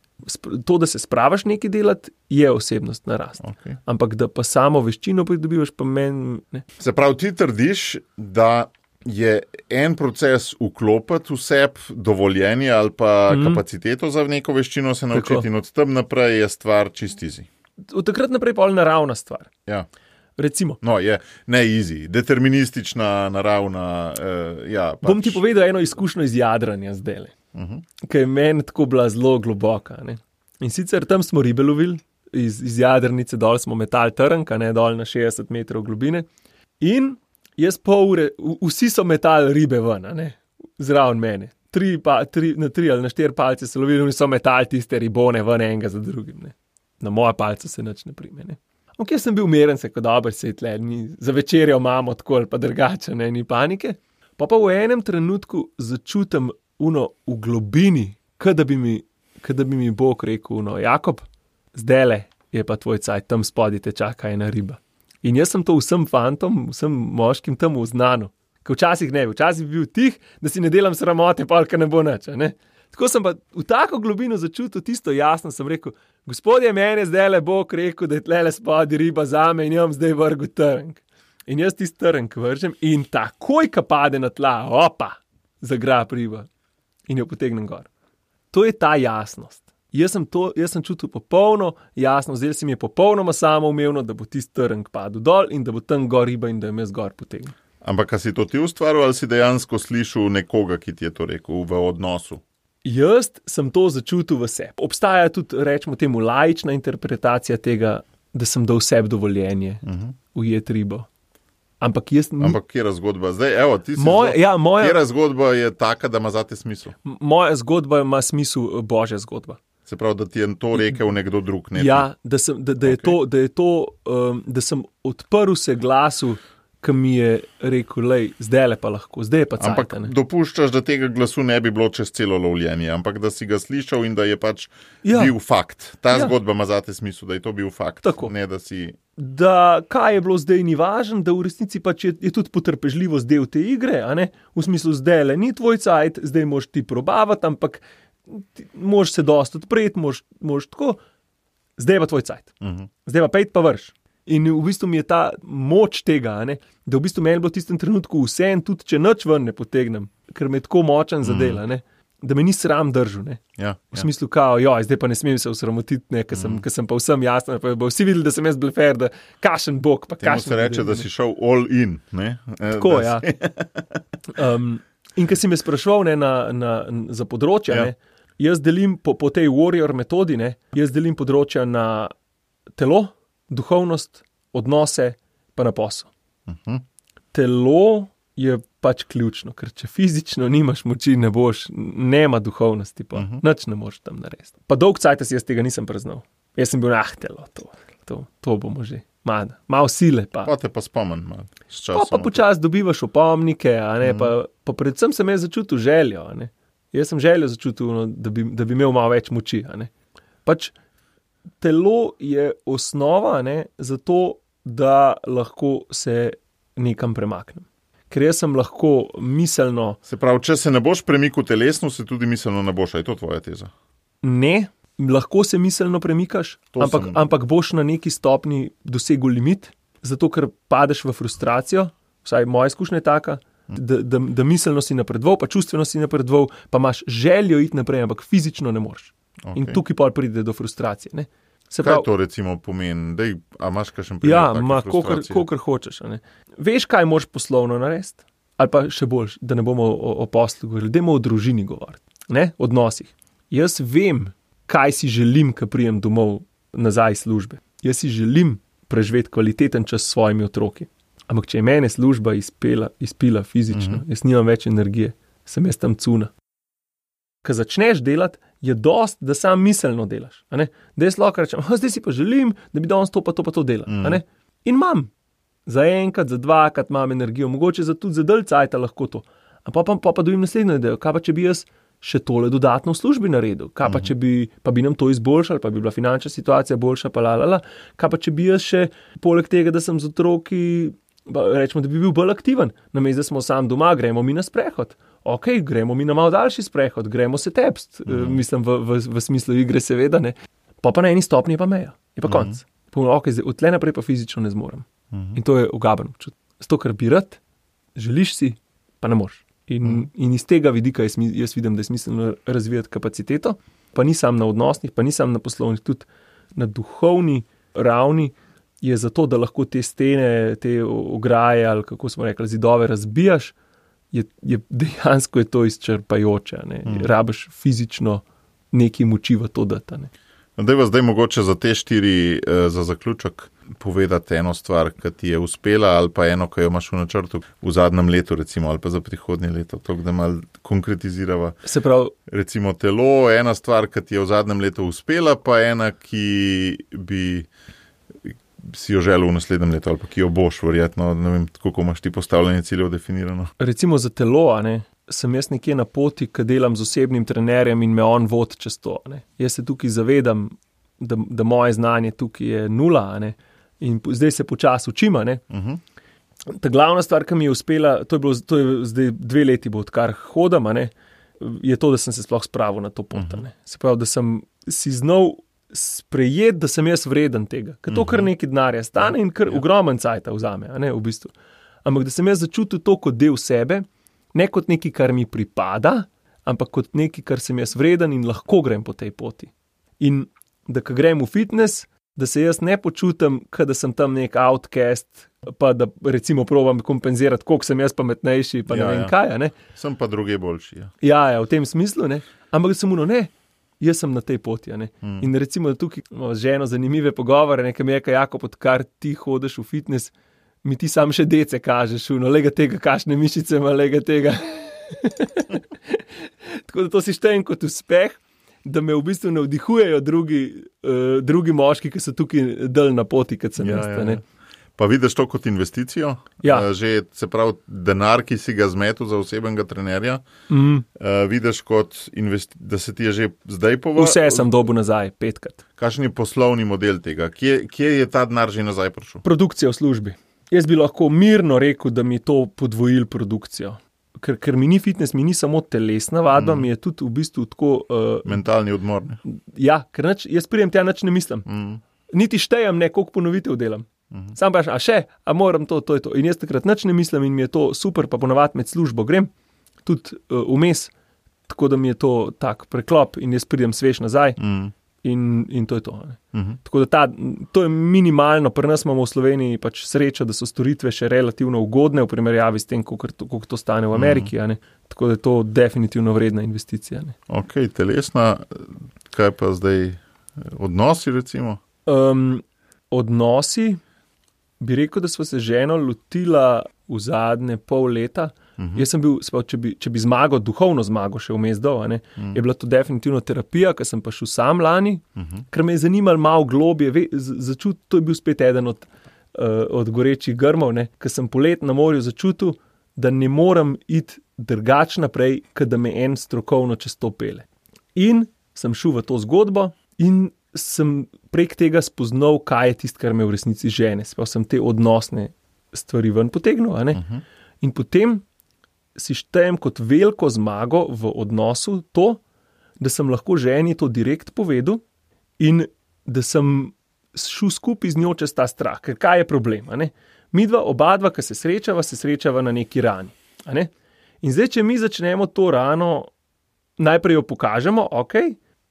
To, da se spravaš nekaj delati, je osebnostna rast. Okay. Ampak da pa samo veščino pridobivaš, pa meni ne. Se pravi, ti trdiš, da je en proces vklopiti v sebi dovoljenje ali pa kapaciteto za neko veščino se naučiti. Tako. In od tam naprej je stvar čist easy. Od takrat naprej pa je naravna stvar. Ja. Recimo. No, je ne easy, deterministična, naravna. Bom ti povedal eno izkušnjo iz jadranja zdajle, ki je meni tako bila zelo globoka. Ne? In sicer tam smo ribe lovili, iz jadrnice dol smo metali trnk, dol na 60 metrov globine. In jaz pol ure, vsi so metali ribe ven, zraven mene. 3 ali na 4 palce so lovili in so metali tiste ribone ven enega za drugim. Ne? Na moja palca se nič ne prime. Ne? Ok, sem bil umeren, se kot dober se je tle, za večerjo imamo tako ali pa drugače, ni panike. Pa v enem trenutku začutim v globini, kada bi mi Bog rekel, Jakob, zdajle je pa tvoj cajt, tam spodaj te čaka ena riba. In jaz sem to vsem fantom, vsem moškim tam uznano. Ker včasih bi bil tih, da si ne delam sramote, pa ne bo nič. Tako sem pa v tako globino začutil tisto jasno, sem rekel, Gospodje, meni je zdaj le Bog rekel, da je tlele spadi riba zame in jim zdaj vrgu trnk. In jaz tisti trnk vržem in takoj, ko pade na tla, opa, zagrab riba in jo potegnem gor. To je ta jasnost. Jaz sem čutil popolno jasno, zdaj se mi je popolnoma samoumevno, da bo tisti trnk padel dol in da bo tam gor riba in da jo jaz gor potegnem. Ampak, a si to ti ustvaril ali si dejansko slišal nekoga, ki ti je to rekel v odnosu? Jaz sem to začutil v sebi. Obstaja tudi, rečemo temu, laična interpretacija tega, da sem dal sebi dovoljenje ujeti ribo. Ampak kjera zgodba? Zdaj, evo, ti si kjera zgodba je taka, da ima zate smisel? Moja zgodba ima smisel Božja zgodba. Se pravi, da ti je to rekel nekdo drug, ne? Ja, da sem odprl se glasu, ki mi je rekel, lej, zdaj le pa lahko, zdaj je pa cajt. Ampak dopuščaš, da tega glasu ne bi bilo čez celo lovljenje, ampak da si ga slišal in da je pač bil fakt. Ta zgodba ima zate smisel, da je to bil fakt. Tako. Ne, da si... Da kaj je bilo zdaj ni važno, da v resnici pač je tudi potrpežljivost del te igre, a ne? V smislu, zdaj le ni tvoj cajt, zdaj moraš ti probavati, ampak moraš se dosti odpreti, moraš tako, zdaj pa tvoj cajt. Zdaj pa pejt pa vrš. In v bistvu mi je ta moč tega, a ne? Da v bistvu meni bilo v tistem trenutku vse in tudi če nič ven ne potegnem, ker me je tako močen zadel, a ne? Da me ni sram držal, ne? Ja, v smislu kao, zdaj pa ne smem se osramotiti, ne, ker sem pa vsem jasno, pa bo vsi videli, da sem jaz blefer, da kašen bog, pa kašen. Temu se reče, da si šel all in, ne? Tako, ja. In ker si me spraševal, ne, za področja, ne, jaz delim po tej warrior metodi, ne, jaz delim področja na telo, duhovnost, odnose, pa na posel. Telo je pač ključno, ker če fizično nimaš moči, nema duhovnosti, pa nič ne moreš tam narediti. Pa dolg cajt jaz tega nisem preznal. Jaz sem bil telo, to bomo že. Malo sile pa. Pa te pa spomen malo. Pa počas dobivaš opomnike, a ne, pa predvsem sem jaz začutil željo, a ne. Jaz sem željo začutil, no, da bi imel malo več moči, a ne. Pač telo je osnova, ne, zato, da lahko se nekam premaknem. Ker jaz sem lahko miselno... Se pravi, če se ne boš premikal telesno, se tudi miselno ne boš, je to tvoja teza? Ne, lahko se miselno premikaš, ampak boš na neki stopni dosegel limit, zato ker padeš v frustracijo, vsaj moja izkušnja je taka, da miselno si napredoval, pa čustveno si napredoval, pa imaš željo iti naprej, ampak fizično ne moreš. Okay. In tukaj pa pride do frustracije. Ne? Kaj to recimo pomeni? A imaš kakšen primer take frustracije? Kolikor hočeš. Ne? Veš, kaj moraš poslovno narediti? Ali pa še bolj, da ne bomo o poslu govorili, dajmo o družini govoriti, ne? Odnosih. Jaz vem, kaj si želim, ko prijem domov nazaj iz službe. Jaz si želim preživeti kvaliteten čas s svojimi otroki. Ampak če je mene služba izpila fizično, jaz nimam več energije, sem jaz tam cuna. Ko začneš delati, je dost, da sam miselno delaš. A ne? Da jaz lahko rečem, zdaj si pa želim, da bi danes to pa to dela. A ne? In imam. Za enkrat, za dvakrat imam energijo, mogoče tudi za dalj cajta lahko to. Pa dobim naslednjo idejo, kaj pa če bi jaz še tole dodatno v službi naredil, kaj pa če bi nam to izboljšali, pa bi bila finančna situacija boljša, kaj pa če bi jaz še, poleg tega, da sem z otroki, rečemo, da bi bil bolj aktiven, namesto da smo sam doma, gremo mi na sprehod. Ok, gremo mi na malo daljši sprehod, gremo se tepst, mislim v smislu igre seveda, ne. Pa na eni stopnji je pa meja, je pa konc. Ok, zdaj, od tle naprej pa fizično ne zmorem. In to je ugaben občutek. Zato, ker bi rad, želiš si, pa ne moreš. In iz tega vidika jaz vidim, da je smiselno razvijati kapaciteto, pa ni sam na odnosnih, pa ni sam na poslovnih, tudi na duhovni ravni je zato, da lahko te stene, te ograje ali kako smo rekli, zidove razbijaš, je dejansko je to izčrpajoče, ne. Rabiš fizično nekaj moči v to dati, ne. Dajva zdaj mogoče za te 4 za zaključek povedati eno stvar, ki ti je uspela, ali pa eno, ki jo imaš v načrtu v zadnjem letu, recimo, ali pa za prihodnje leto, to, da malo konkretizirava. Se pravi, recimo telo, ena stvar, ki ti je v zadnjem letu uspela, pa ena, ki bi si jo želel v naslednjem letu, ali pa ki jo boš verjetno, ne vem, kako imaš ti postavljanje ciljev definirano. Recimo za telo, ne, sem jaz nekje na poti, ki delam z osebnim trenerjem in me on vodi čez to, ne. Jaz se tukaj zavedam, da moje znanje tukaj je nula, ne, in zdaj se počasi učim, ne. Ta glavna stvar, ki mi je uspela, to je zdaj 2 leti bo, odkar hodam, ne, je to, da sem se sploh spravil na to pot, ne. Se pravi, da sem si znal sprejeti, da sem jaz vreden tega, ker to kar nekaj denarja stane in kar ogromen cajta vzame, a ne, v bistvu. Ampak da sem jaz začutil to kot del sebe, ne kot nekaj, kar mi pripada, ampak kot nekaj, kar sem jaz vreden in lahko grem po tej poti. In da ko grem v fitness, da se jaz ne počutim, da sem tam nek outcast, pa da recimo probam kompenzirati, koliko sem jaz pametnejši, pa ne vem kaj, ne. Sem pa druge boljši, ja. Ja, v tem smislu, ne. Ampak da sem ne, jaz sem na tej poti, ne. In recimo tukaj imamo z ženo zanimive pogovore, nekaj mi je, Jakob, odkar ti hodiš v fitness, mi ti sam še dece kažeš, lega tega, kakšne mišice ima, lega tega. Tako da to si štejem kot uspeh, da me v bistvu navdihujejo drugi moški, ki so tukaj del na poti, kot sem jaz. Ne? Pa vidiš to kot investicijo? Ja. Že se pravi denar, ki si ga zmetil za osebnega trenerja, vidiš kot da se ti je že zdaj povrnil? Vse sem dobil nazaj, 5-krat. Kakšen je poslovni model tega? Kje je ta denar že nazaj prišel? Produkcija v službi. Jaz bi lahko mirno rekel, da mi je to podvojil produkcijo. Ker mi ni fitness, mi ni samo telesna vadba, mi je tudi v bistvu tako... mentalni odmor. Ja, ker jaz prijem tja nič ne mislim. Niti štejem koliko ponovitev delam. Sam pa a moram to je to. In jaz takrat nič ne mislim in mi je to super, pa ponavadi med službo grem, tudi vmes, tako da mi je to tak preklop in jaz prijem svež nazaj. In to je to. Tako da to je minimalno, pri nas imamo v Sloveniji pač srečo, da so storitve še relativno ugodne v primerjavi s tem, koliko to stane v Ameriki. Tako da je to definitivno vredna investicija. Ok, telesna, kaj pa zdaj odnosi recimo? Odnosi, bi rekel, da sva se ženo lotila v zadnje pol leta. Jaz sem bil, če bi zmagal, duhovno zmagal še vmes dol, je bila to definitivno terapija, ker sem pa šel sam lani, ker me je zanimalo malo globje, začutil, to je bil spet eden od gorečih grmov, ker sem polet na morju začutil, da ne morem iti drugače naprej, ker da me en strokovno čez to pele. In sem šel v to zgodbo in sem prek tega spoznal, kaj je tisto, kar me v resnici žene. Sploh sem te odnosne stvari ven potegnil, In potem si štejem kot veliko zmago v odnosu to, da sem lahko ženi to direkt povedal in da sem šel skupaj z njo čez ta strah. Ker kaj je problem? Midva, obadva, ki se srečava na neki rani. In zdaj, če mi začnemo to rano, najprej jo pokažemo,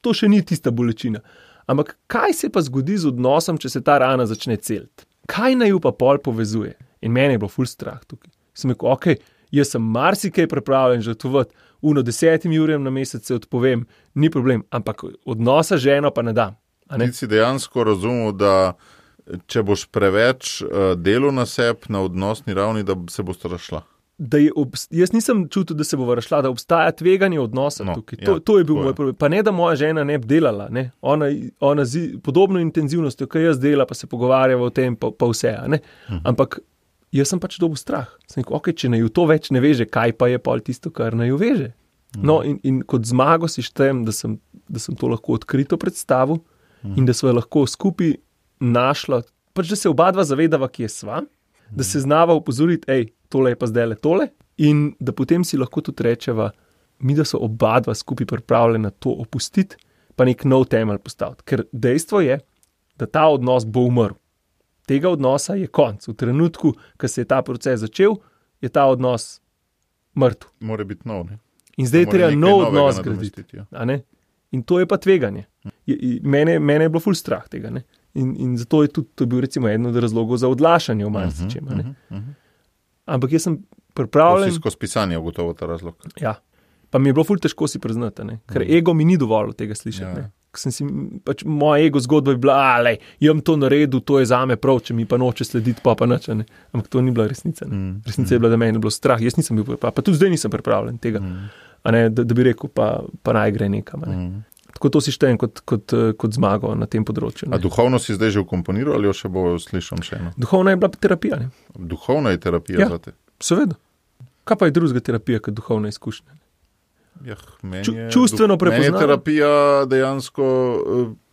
to še ni tista bolečina. Ampak kaj se pa zgodi z odnosom, če se ta rana začne celiti? Kaj naj jo pa pol povezuje? In meni je bilo ful strah tukaj. Sem rekel, jaz sem marsikaj pripravljen žrtvovati, 10 urjem na mesec se odpovem, ni problem, ampak odnosa z ženo pa ne dam. Ti si dejansko razumel, da če boš preveč delal na sebi, na odnosni ravni, da se boš razšla. Jaz nisem čutil, da se bo razšla, da obstaja tveganje odnosa tukaj. To je bil moj problem. Pa ne, da moja žena ne bi delala. Ona podobno intenzivnostjo, kot jaz dela, pa se pogovarjava o tem, pa vse. Ampak jaz sem pač dobil strah. Sem rekel, če naju to več ne veže, kaj pa je pol tisto, kar naju veže. No, in kot zmago si štejem, da sem to lahko odkrito predstavil in da sva lahko skupaj našla, pač da se obadva zavedava, kje sva, da se znava opozoriti, tole je pa zdaj tole, in da potem si lahko tudi rečeva, mi da so obadva skupaj pripravljena to opustiti, pa nek nov temelj postaviti. Ker dejstvo je, da ta odnos bo umrl. Tega odnosa je konc. V trenutku, ko se je ta proces začel, je ta odnos mrtev. Mora biti nov, ne? In zdaj je treba nov odnos graditi. In to je pa tveganje. Mene je bilo ful strah tega. In zato je tudi, to je bil recimo eden od razlogov za odlašanje v marsičem. Ampak jaz sem pripravljen... Skozi pisanje je gotovo ta razlog. Ja. Pa mi je bilo ful težko si priznati, ker ego mi ni dovolj tega slišati. Pač moja ego zgodba je bila, jem to naredil, to je zame prav, če mi pa noče slediti, pa nič. Ampak to ni bila resnica. Resnica je bila, da meni je bilo strah. Jaz nisem bil pripravljen, pa tudi zdaj nisem pripravljen tega. Da bi rekel, pa naj gre nekam. Tako to si štejem kot zmago na tem področju. A duhovno si zdaj že vkomponiral ali jo še bo slišal še eno? Duhovna je bila terapija. Duhovna je terapija za te? Seveda. Kaj pa je drugega terapija kot duhovna izkušnja? Čustveno prepoznavanje. Meni je terapija dejansko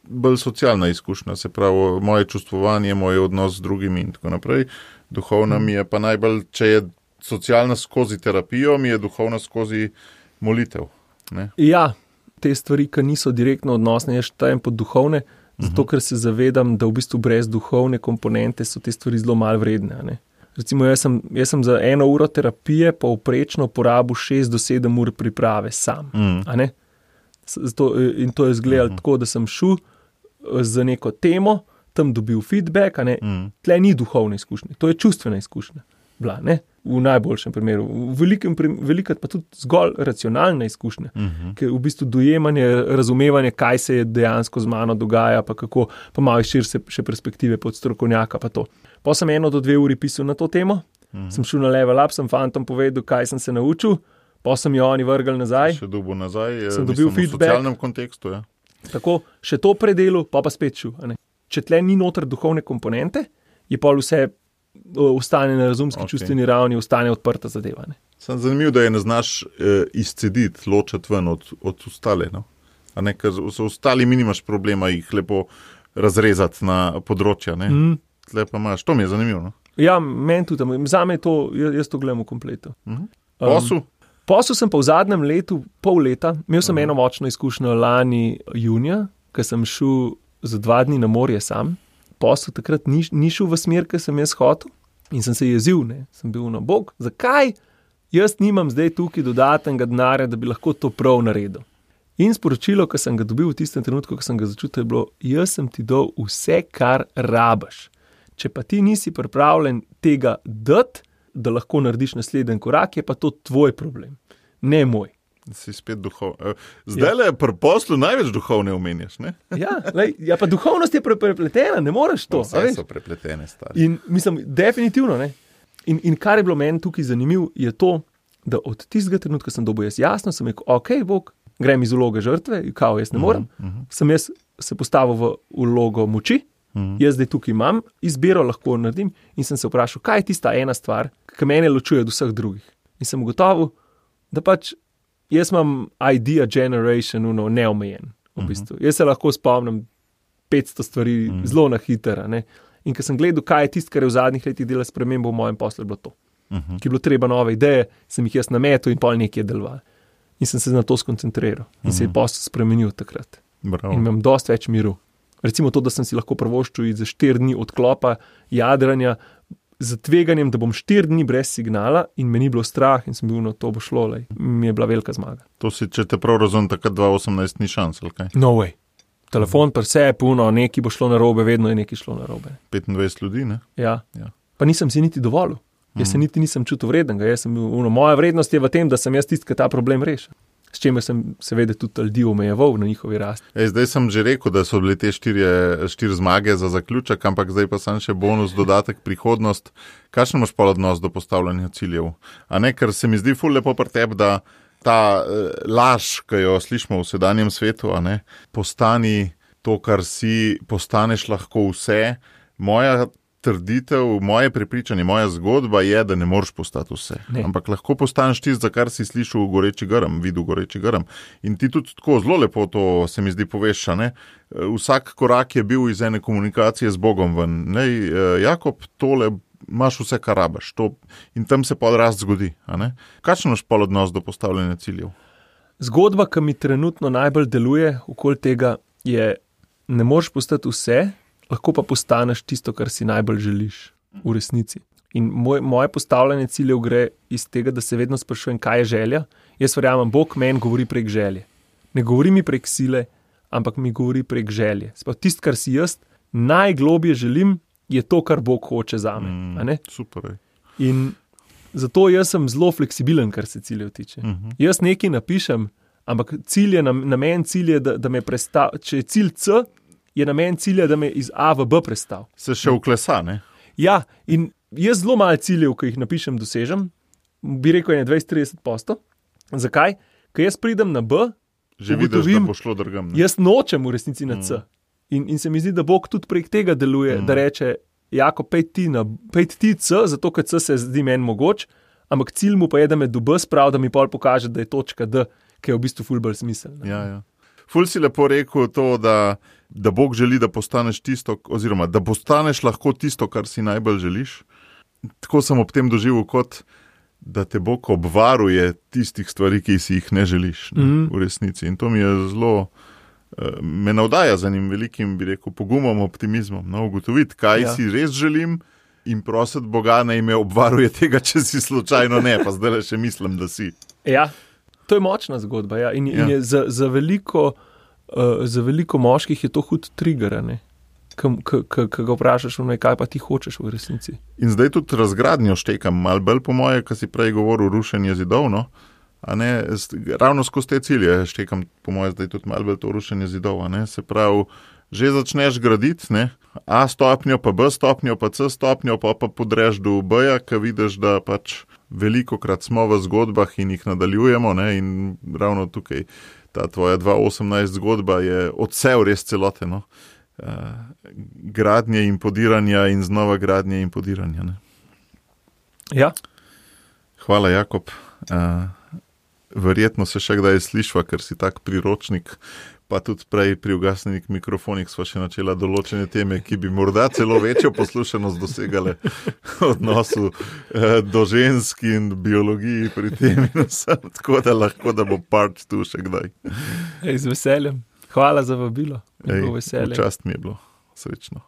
bolj socialna izkušnja, se pravi moje čustvovanje, moj odnos z drugimi in tako naprej. Duhovna mi je pa najbolj, če je socialna skozi terapijo, mi je duhovna skozi molitev. Ne? Ja, te stvari, ki niso direktno odnosne, jaz štejem pod duhovne, Zato, ker se zavedam, da v bistvu brez duhovne komponente so te stvari zelo malo vredne. Ne? Recimo, jaz sem za 1 uro terapije povprečno porabil 6 do 7 ur priprave sam. A ne? In to je izgledalo tako, da sem šel za neko temo, tam dobil feedback, a ne? Tle ni duhovne izkušnje, to je čustvena izkušnja. Bila, ne? V najboljšem primeru. Velikrat pa tudi zgolj racionalna izkušnja, ker v bistvu dojemanje, razumevanje, kaj se je dejansko z mano dogaja, pa kako, pa malo širše še perspektive pod strokovnjaka, pa to. Pa sem 1 do 2 uri pisal na to temo, sem šel na level up, sem fantom povedal, kaj sem se naučil, pa sem jo oni vrgli nazaj. Še dobil nazaj, sem dobil feedback. V socialnem kontekstu, ja. Tako, še to predelal, pa spet šel. Če tle ni noter duhovne komponente, je pa vse ostane na razumski čustveni ravni, ostane odprta zadeva. Sem zanimiv, da je ne znaš izcediti, ločiti ven od ostale. No? A ne, ker so ostali nimaš problema jih lepo razrezati na področja. Tle pa imaš, to mi je zanimivo. No? Ja, meni tudi, zame je to, jaz to gledam v kompletu. Posel? Posel sem pa v zadnjem letu, pol leta, imel sem eno močno izkušnjo lani junija, ko sem šel za 2 dni na morje sam. Posel takrat ni šel v smer, ki sem jaz hotel in sem se jezil, sem bil na bog. Zakaj jaz nimam zdaj tukaj dodatnega denarja, da bi lahko to prav naredil? In sporočilo, ki sem ga dobil v tistem trenutku, ko sem ga začutil, je bilo, jaz sem ti dal vse, kar rabiš. Če pa ti nisi pripravljen tega dati, da lahko narediš naslednji korak, je pa to tvoj problem, ne moj. Si spet duhovni. Zdaj le pri poslu največ duhovne omenjaš, ne? Ja, pa duhovnost je prepletena, ne moreš to. Vse so prepletene, stari. In mislim, definitivno, ne. In kar je bilo meni tukaj zanimivo, je to, da od tistega trenutka sem dobil jaz jasno, sem rekel, ok, Bog, grem iz vloge žrtve, kao jaz ne morem, sem jaz se postavil v vlogo moči, jaz zdaj tukaj imam, izbiro lahko naredim in sem se vprašal, kaj je tista ena stvar, ki mene ločuje od vseh drugih. In sem ugotovil, da pač jaz imam idea generation, neomejen, v bistvu. Jaz se lahko spomnim 500 stvari zelo na hitro, ne. In ko sem gledal, kaj je tisto, kar je v zadnjih letih delalo spremembo v mojem poslu, je bilo to. Ki je bilo treba nove ideje, sem jih jaz nametal in pol nekaj deloval. In sem se na to skoncentriral. In se je posel spremenil takrat. Bravo. In imam dosti več miru. Recimo to, da sem si lahko privoščil za 4 dni odklopa, jadranja, z tveganjem, da bom 4 dni brez signala in me ni bilo strah in sem bil, to bo šlo, mi je bila velika zmaga. To si, če te prav razumem, takrat 2018 ni šans, ali kaj? No way. Telefon pri sebi, puno, nekaj bo šlo narobe, vedno je nekaj šlo narobe. 25 ljudi, ne? Ja. Pa nisem si niti dovolil. Jaz se niti nisem čutil vrednega. Moja vrednost je v tem, da sem jaz tisti, ki ta problem reši. S čemer sem seveda tudi ljudi omejeval na njihovi rasti. Zdaj sem že rekel, da so bile te 4 zmage za zaključek, ampak zdaj pa sem še bonus, dodatek, prihodnost. Kakšen imaš pa odnos do postavljanja ciljev? A ne, ker se mi zdi ful lepo pri tebi, da ta laž, ki jo slišimo v sedanjem svetu, a ne, postani to, kar si, postaneš lahko vse. Moja trditev, moje prepričanje, moja zgodba je, da ne moreš postati vse. Ne. Ampak lahko postaneš tisto, za kar si slišal v Goreči grm, videl Goreči grm. In ti tudi tako zelo lepo to se mi zdi poveš, ne? Vsak korak je bil iz ene komunikacije z Bogom ven. Jakob, tole imaš vse, kar rabiš. In tam se pa rast zgodi. Kakšen imaš pa odnos do postavljanja ciljev? Zgodba, ki mi trenutno najbolj deluje okoli tega, je, ne moreš postati vse, lahko pa postaneš tisto, kar si najbolj želiš v resnici. In moje postavljanje ciljev gre iz tega, da se vedno sprašujem, kaj je želja. Jaz verjamem, Bog meni govori prek želje. Ne govori mi prek sile, ampak mi govori prek želje. Tisto, kar si jaz najglobje želim, je to, kar Bog hoče zame. Super. In zato jaz sem zelo fleksibilen, kar se ciljev tiče. Jaz nekaj napišem, ampak namen cilj je, da me prestavi. Če je cilj C, je namen cilja, da me iz A v B prestav. Se še vklesa, ne? Ja, in jaz zelo malo ciljev, ki jih napišem, dosežem, bi rekel, je 20-30%. Zakaj? Ker jaz pridem na B, že vidiš, da bo šlo drugam. Jaz nočem v resnici na C. In se mi zdi, da Bog tudi prek tega deluje, da reče, Jako, pejt ti C, zato ker C se zdi meni mogoč, ampak cilj mu pa je, da me do B sprav, da mi pol pokaže, da je točka D, ki je v bistvu ful bolj smiselna. Ja. Ful si lepo rekel to, da Bog želi, da postaneš tisto, oziroma da postaneš lahko tisto, kar si najbolj želiš. Tako sem ob tem doživel, kot da te Bog obvaruje tistih stvari, ki si jih ne želiš v resnici. In to mi je zelo me navdaja z enim velikim, bi rekel, pogumom, optimizmom, no, ugotoviti, kaj si res želim in prositi Boga, naj me obvaruje tega, če si slučajno ne, pa zdaj še mislim, da si. Ja, to je močna zgodba, ja. In je za veliko moških je to hud trigger, ne? Ko ga vprašaš, kaj pa ti hočeš v resnici. In zdaj tudi razgradnjo štekam, malo bolj po moje, ko si prej govoril, rušenje zidov, no? A ne, ravno skozi te cilje štekam, po moje, zdaj tudi malo bolj to rušenje zidov, a ne? Se pravi, že začneš graditi, ne? A stopnjo, pa B stopnjo, pa C stopnjo, pa podreš do B-ja, ko vidiš, da pač velikokrat smo v zgodbah in jih nadaljujemo, ne? In ravno tukaj ta tvoja 2018 zgodba je odsev res celote, no? Gradnje in podiranja in znova gradnje in podiranja. Ne? Ja. Hvala, Jakob. Verjetno se še kdaj slišva, ker si tak priročnik, pa tudi prej pri ugasnenih mikrofonih sva še načela določene teme, ki bi morda celo večjo poslušanost dosegale odnosu do žensk in biologiji pri tem in vsem, tako da lahko, da bo part 2 še kdaj. Z veseljem. Hvala za vabilo. V čast mi je bilo. Srečno.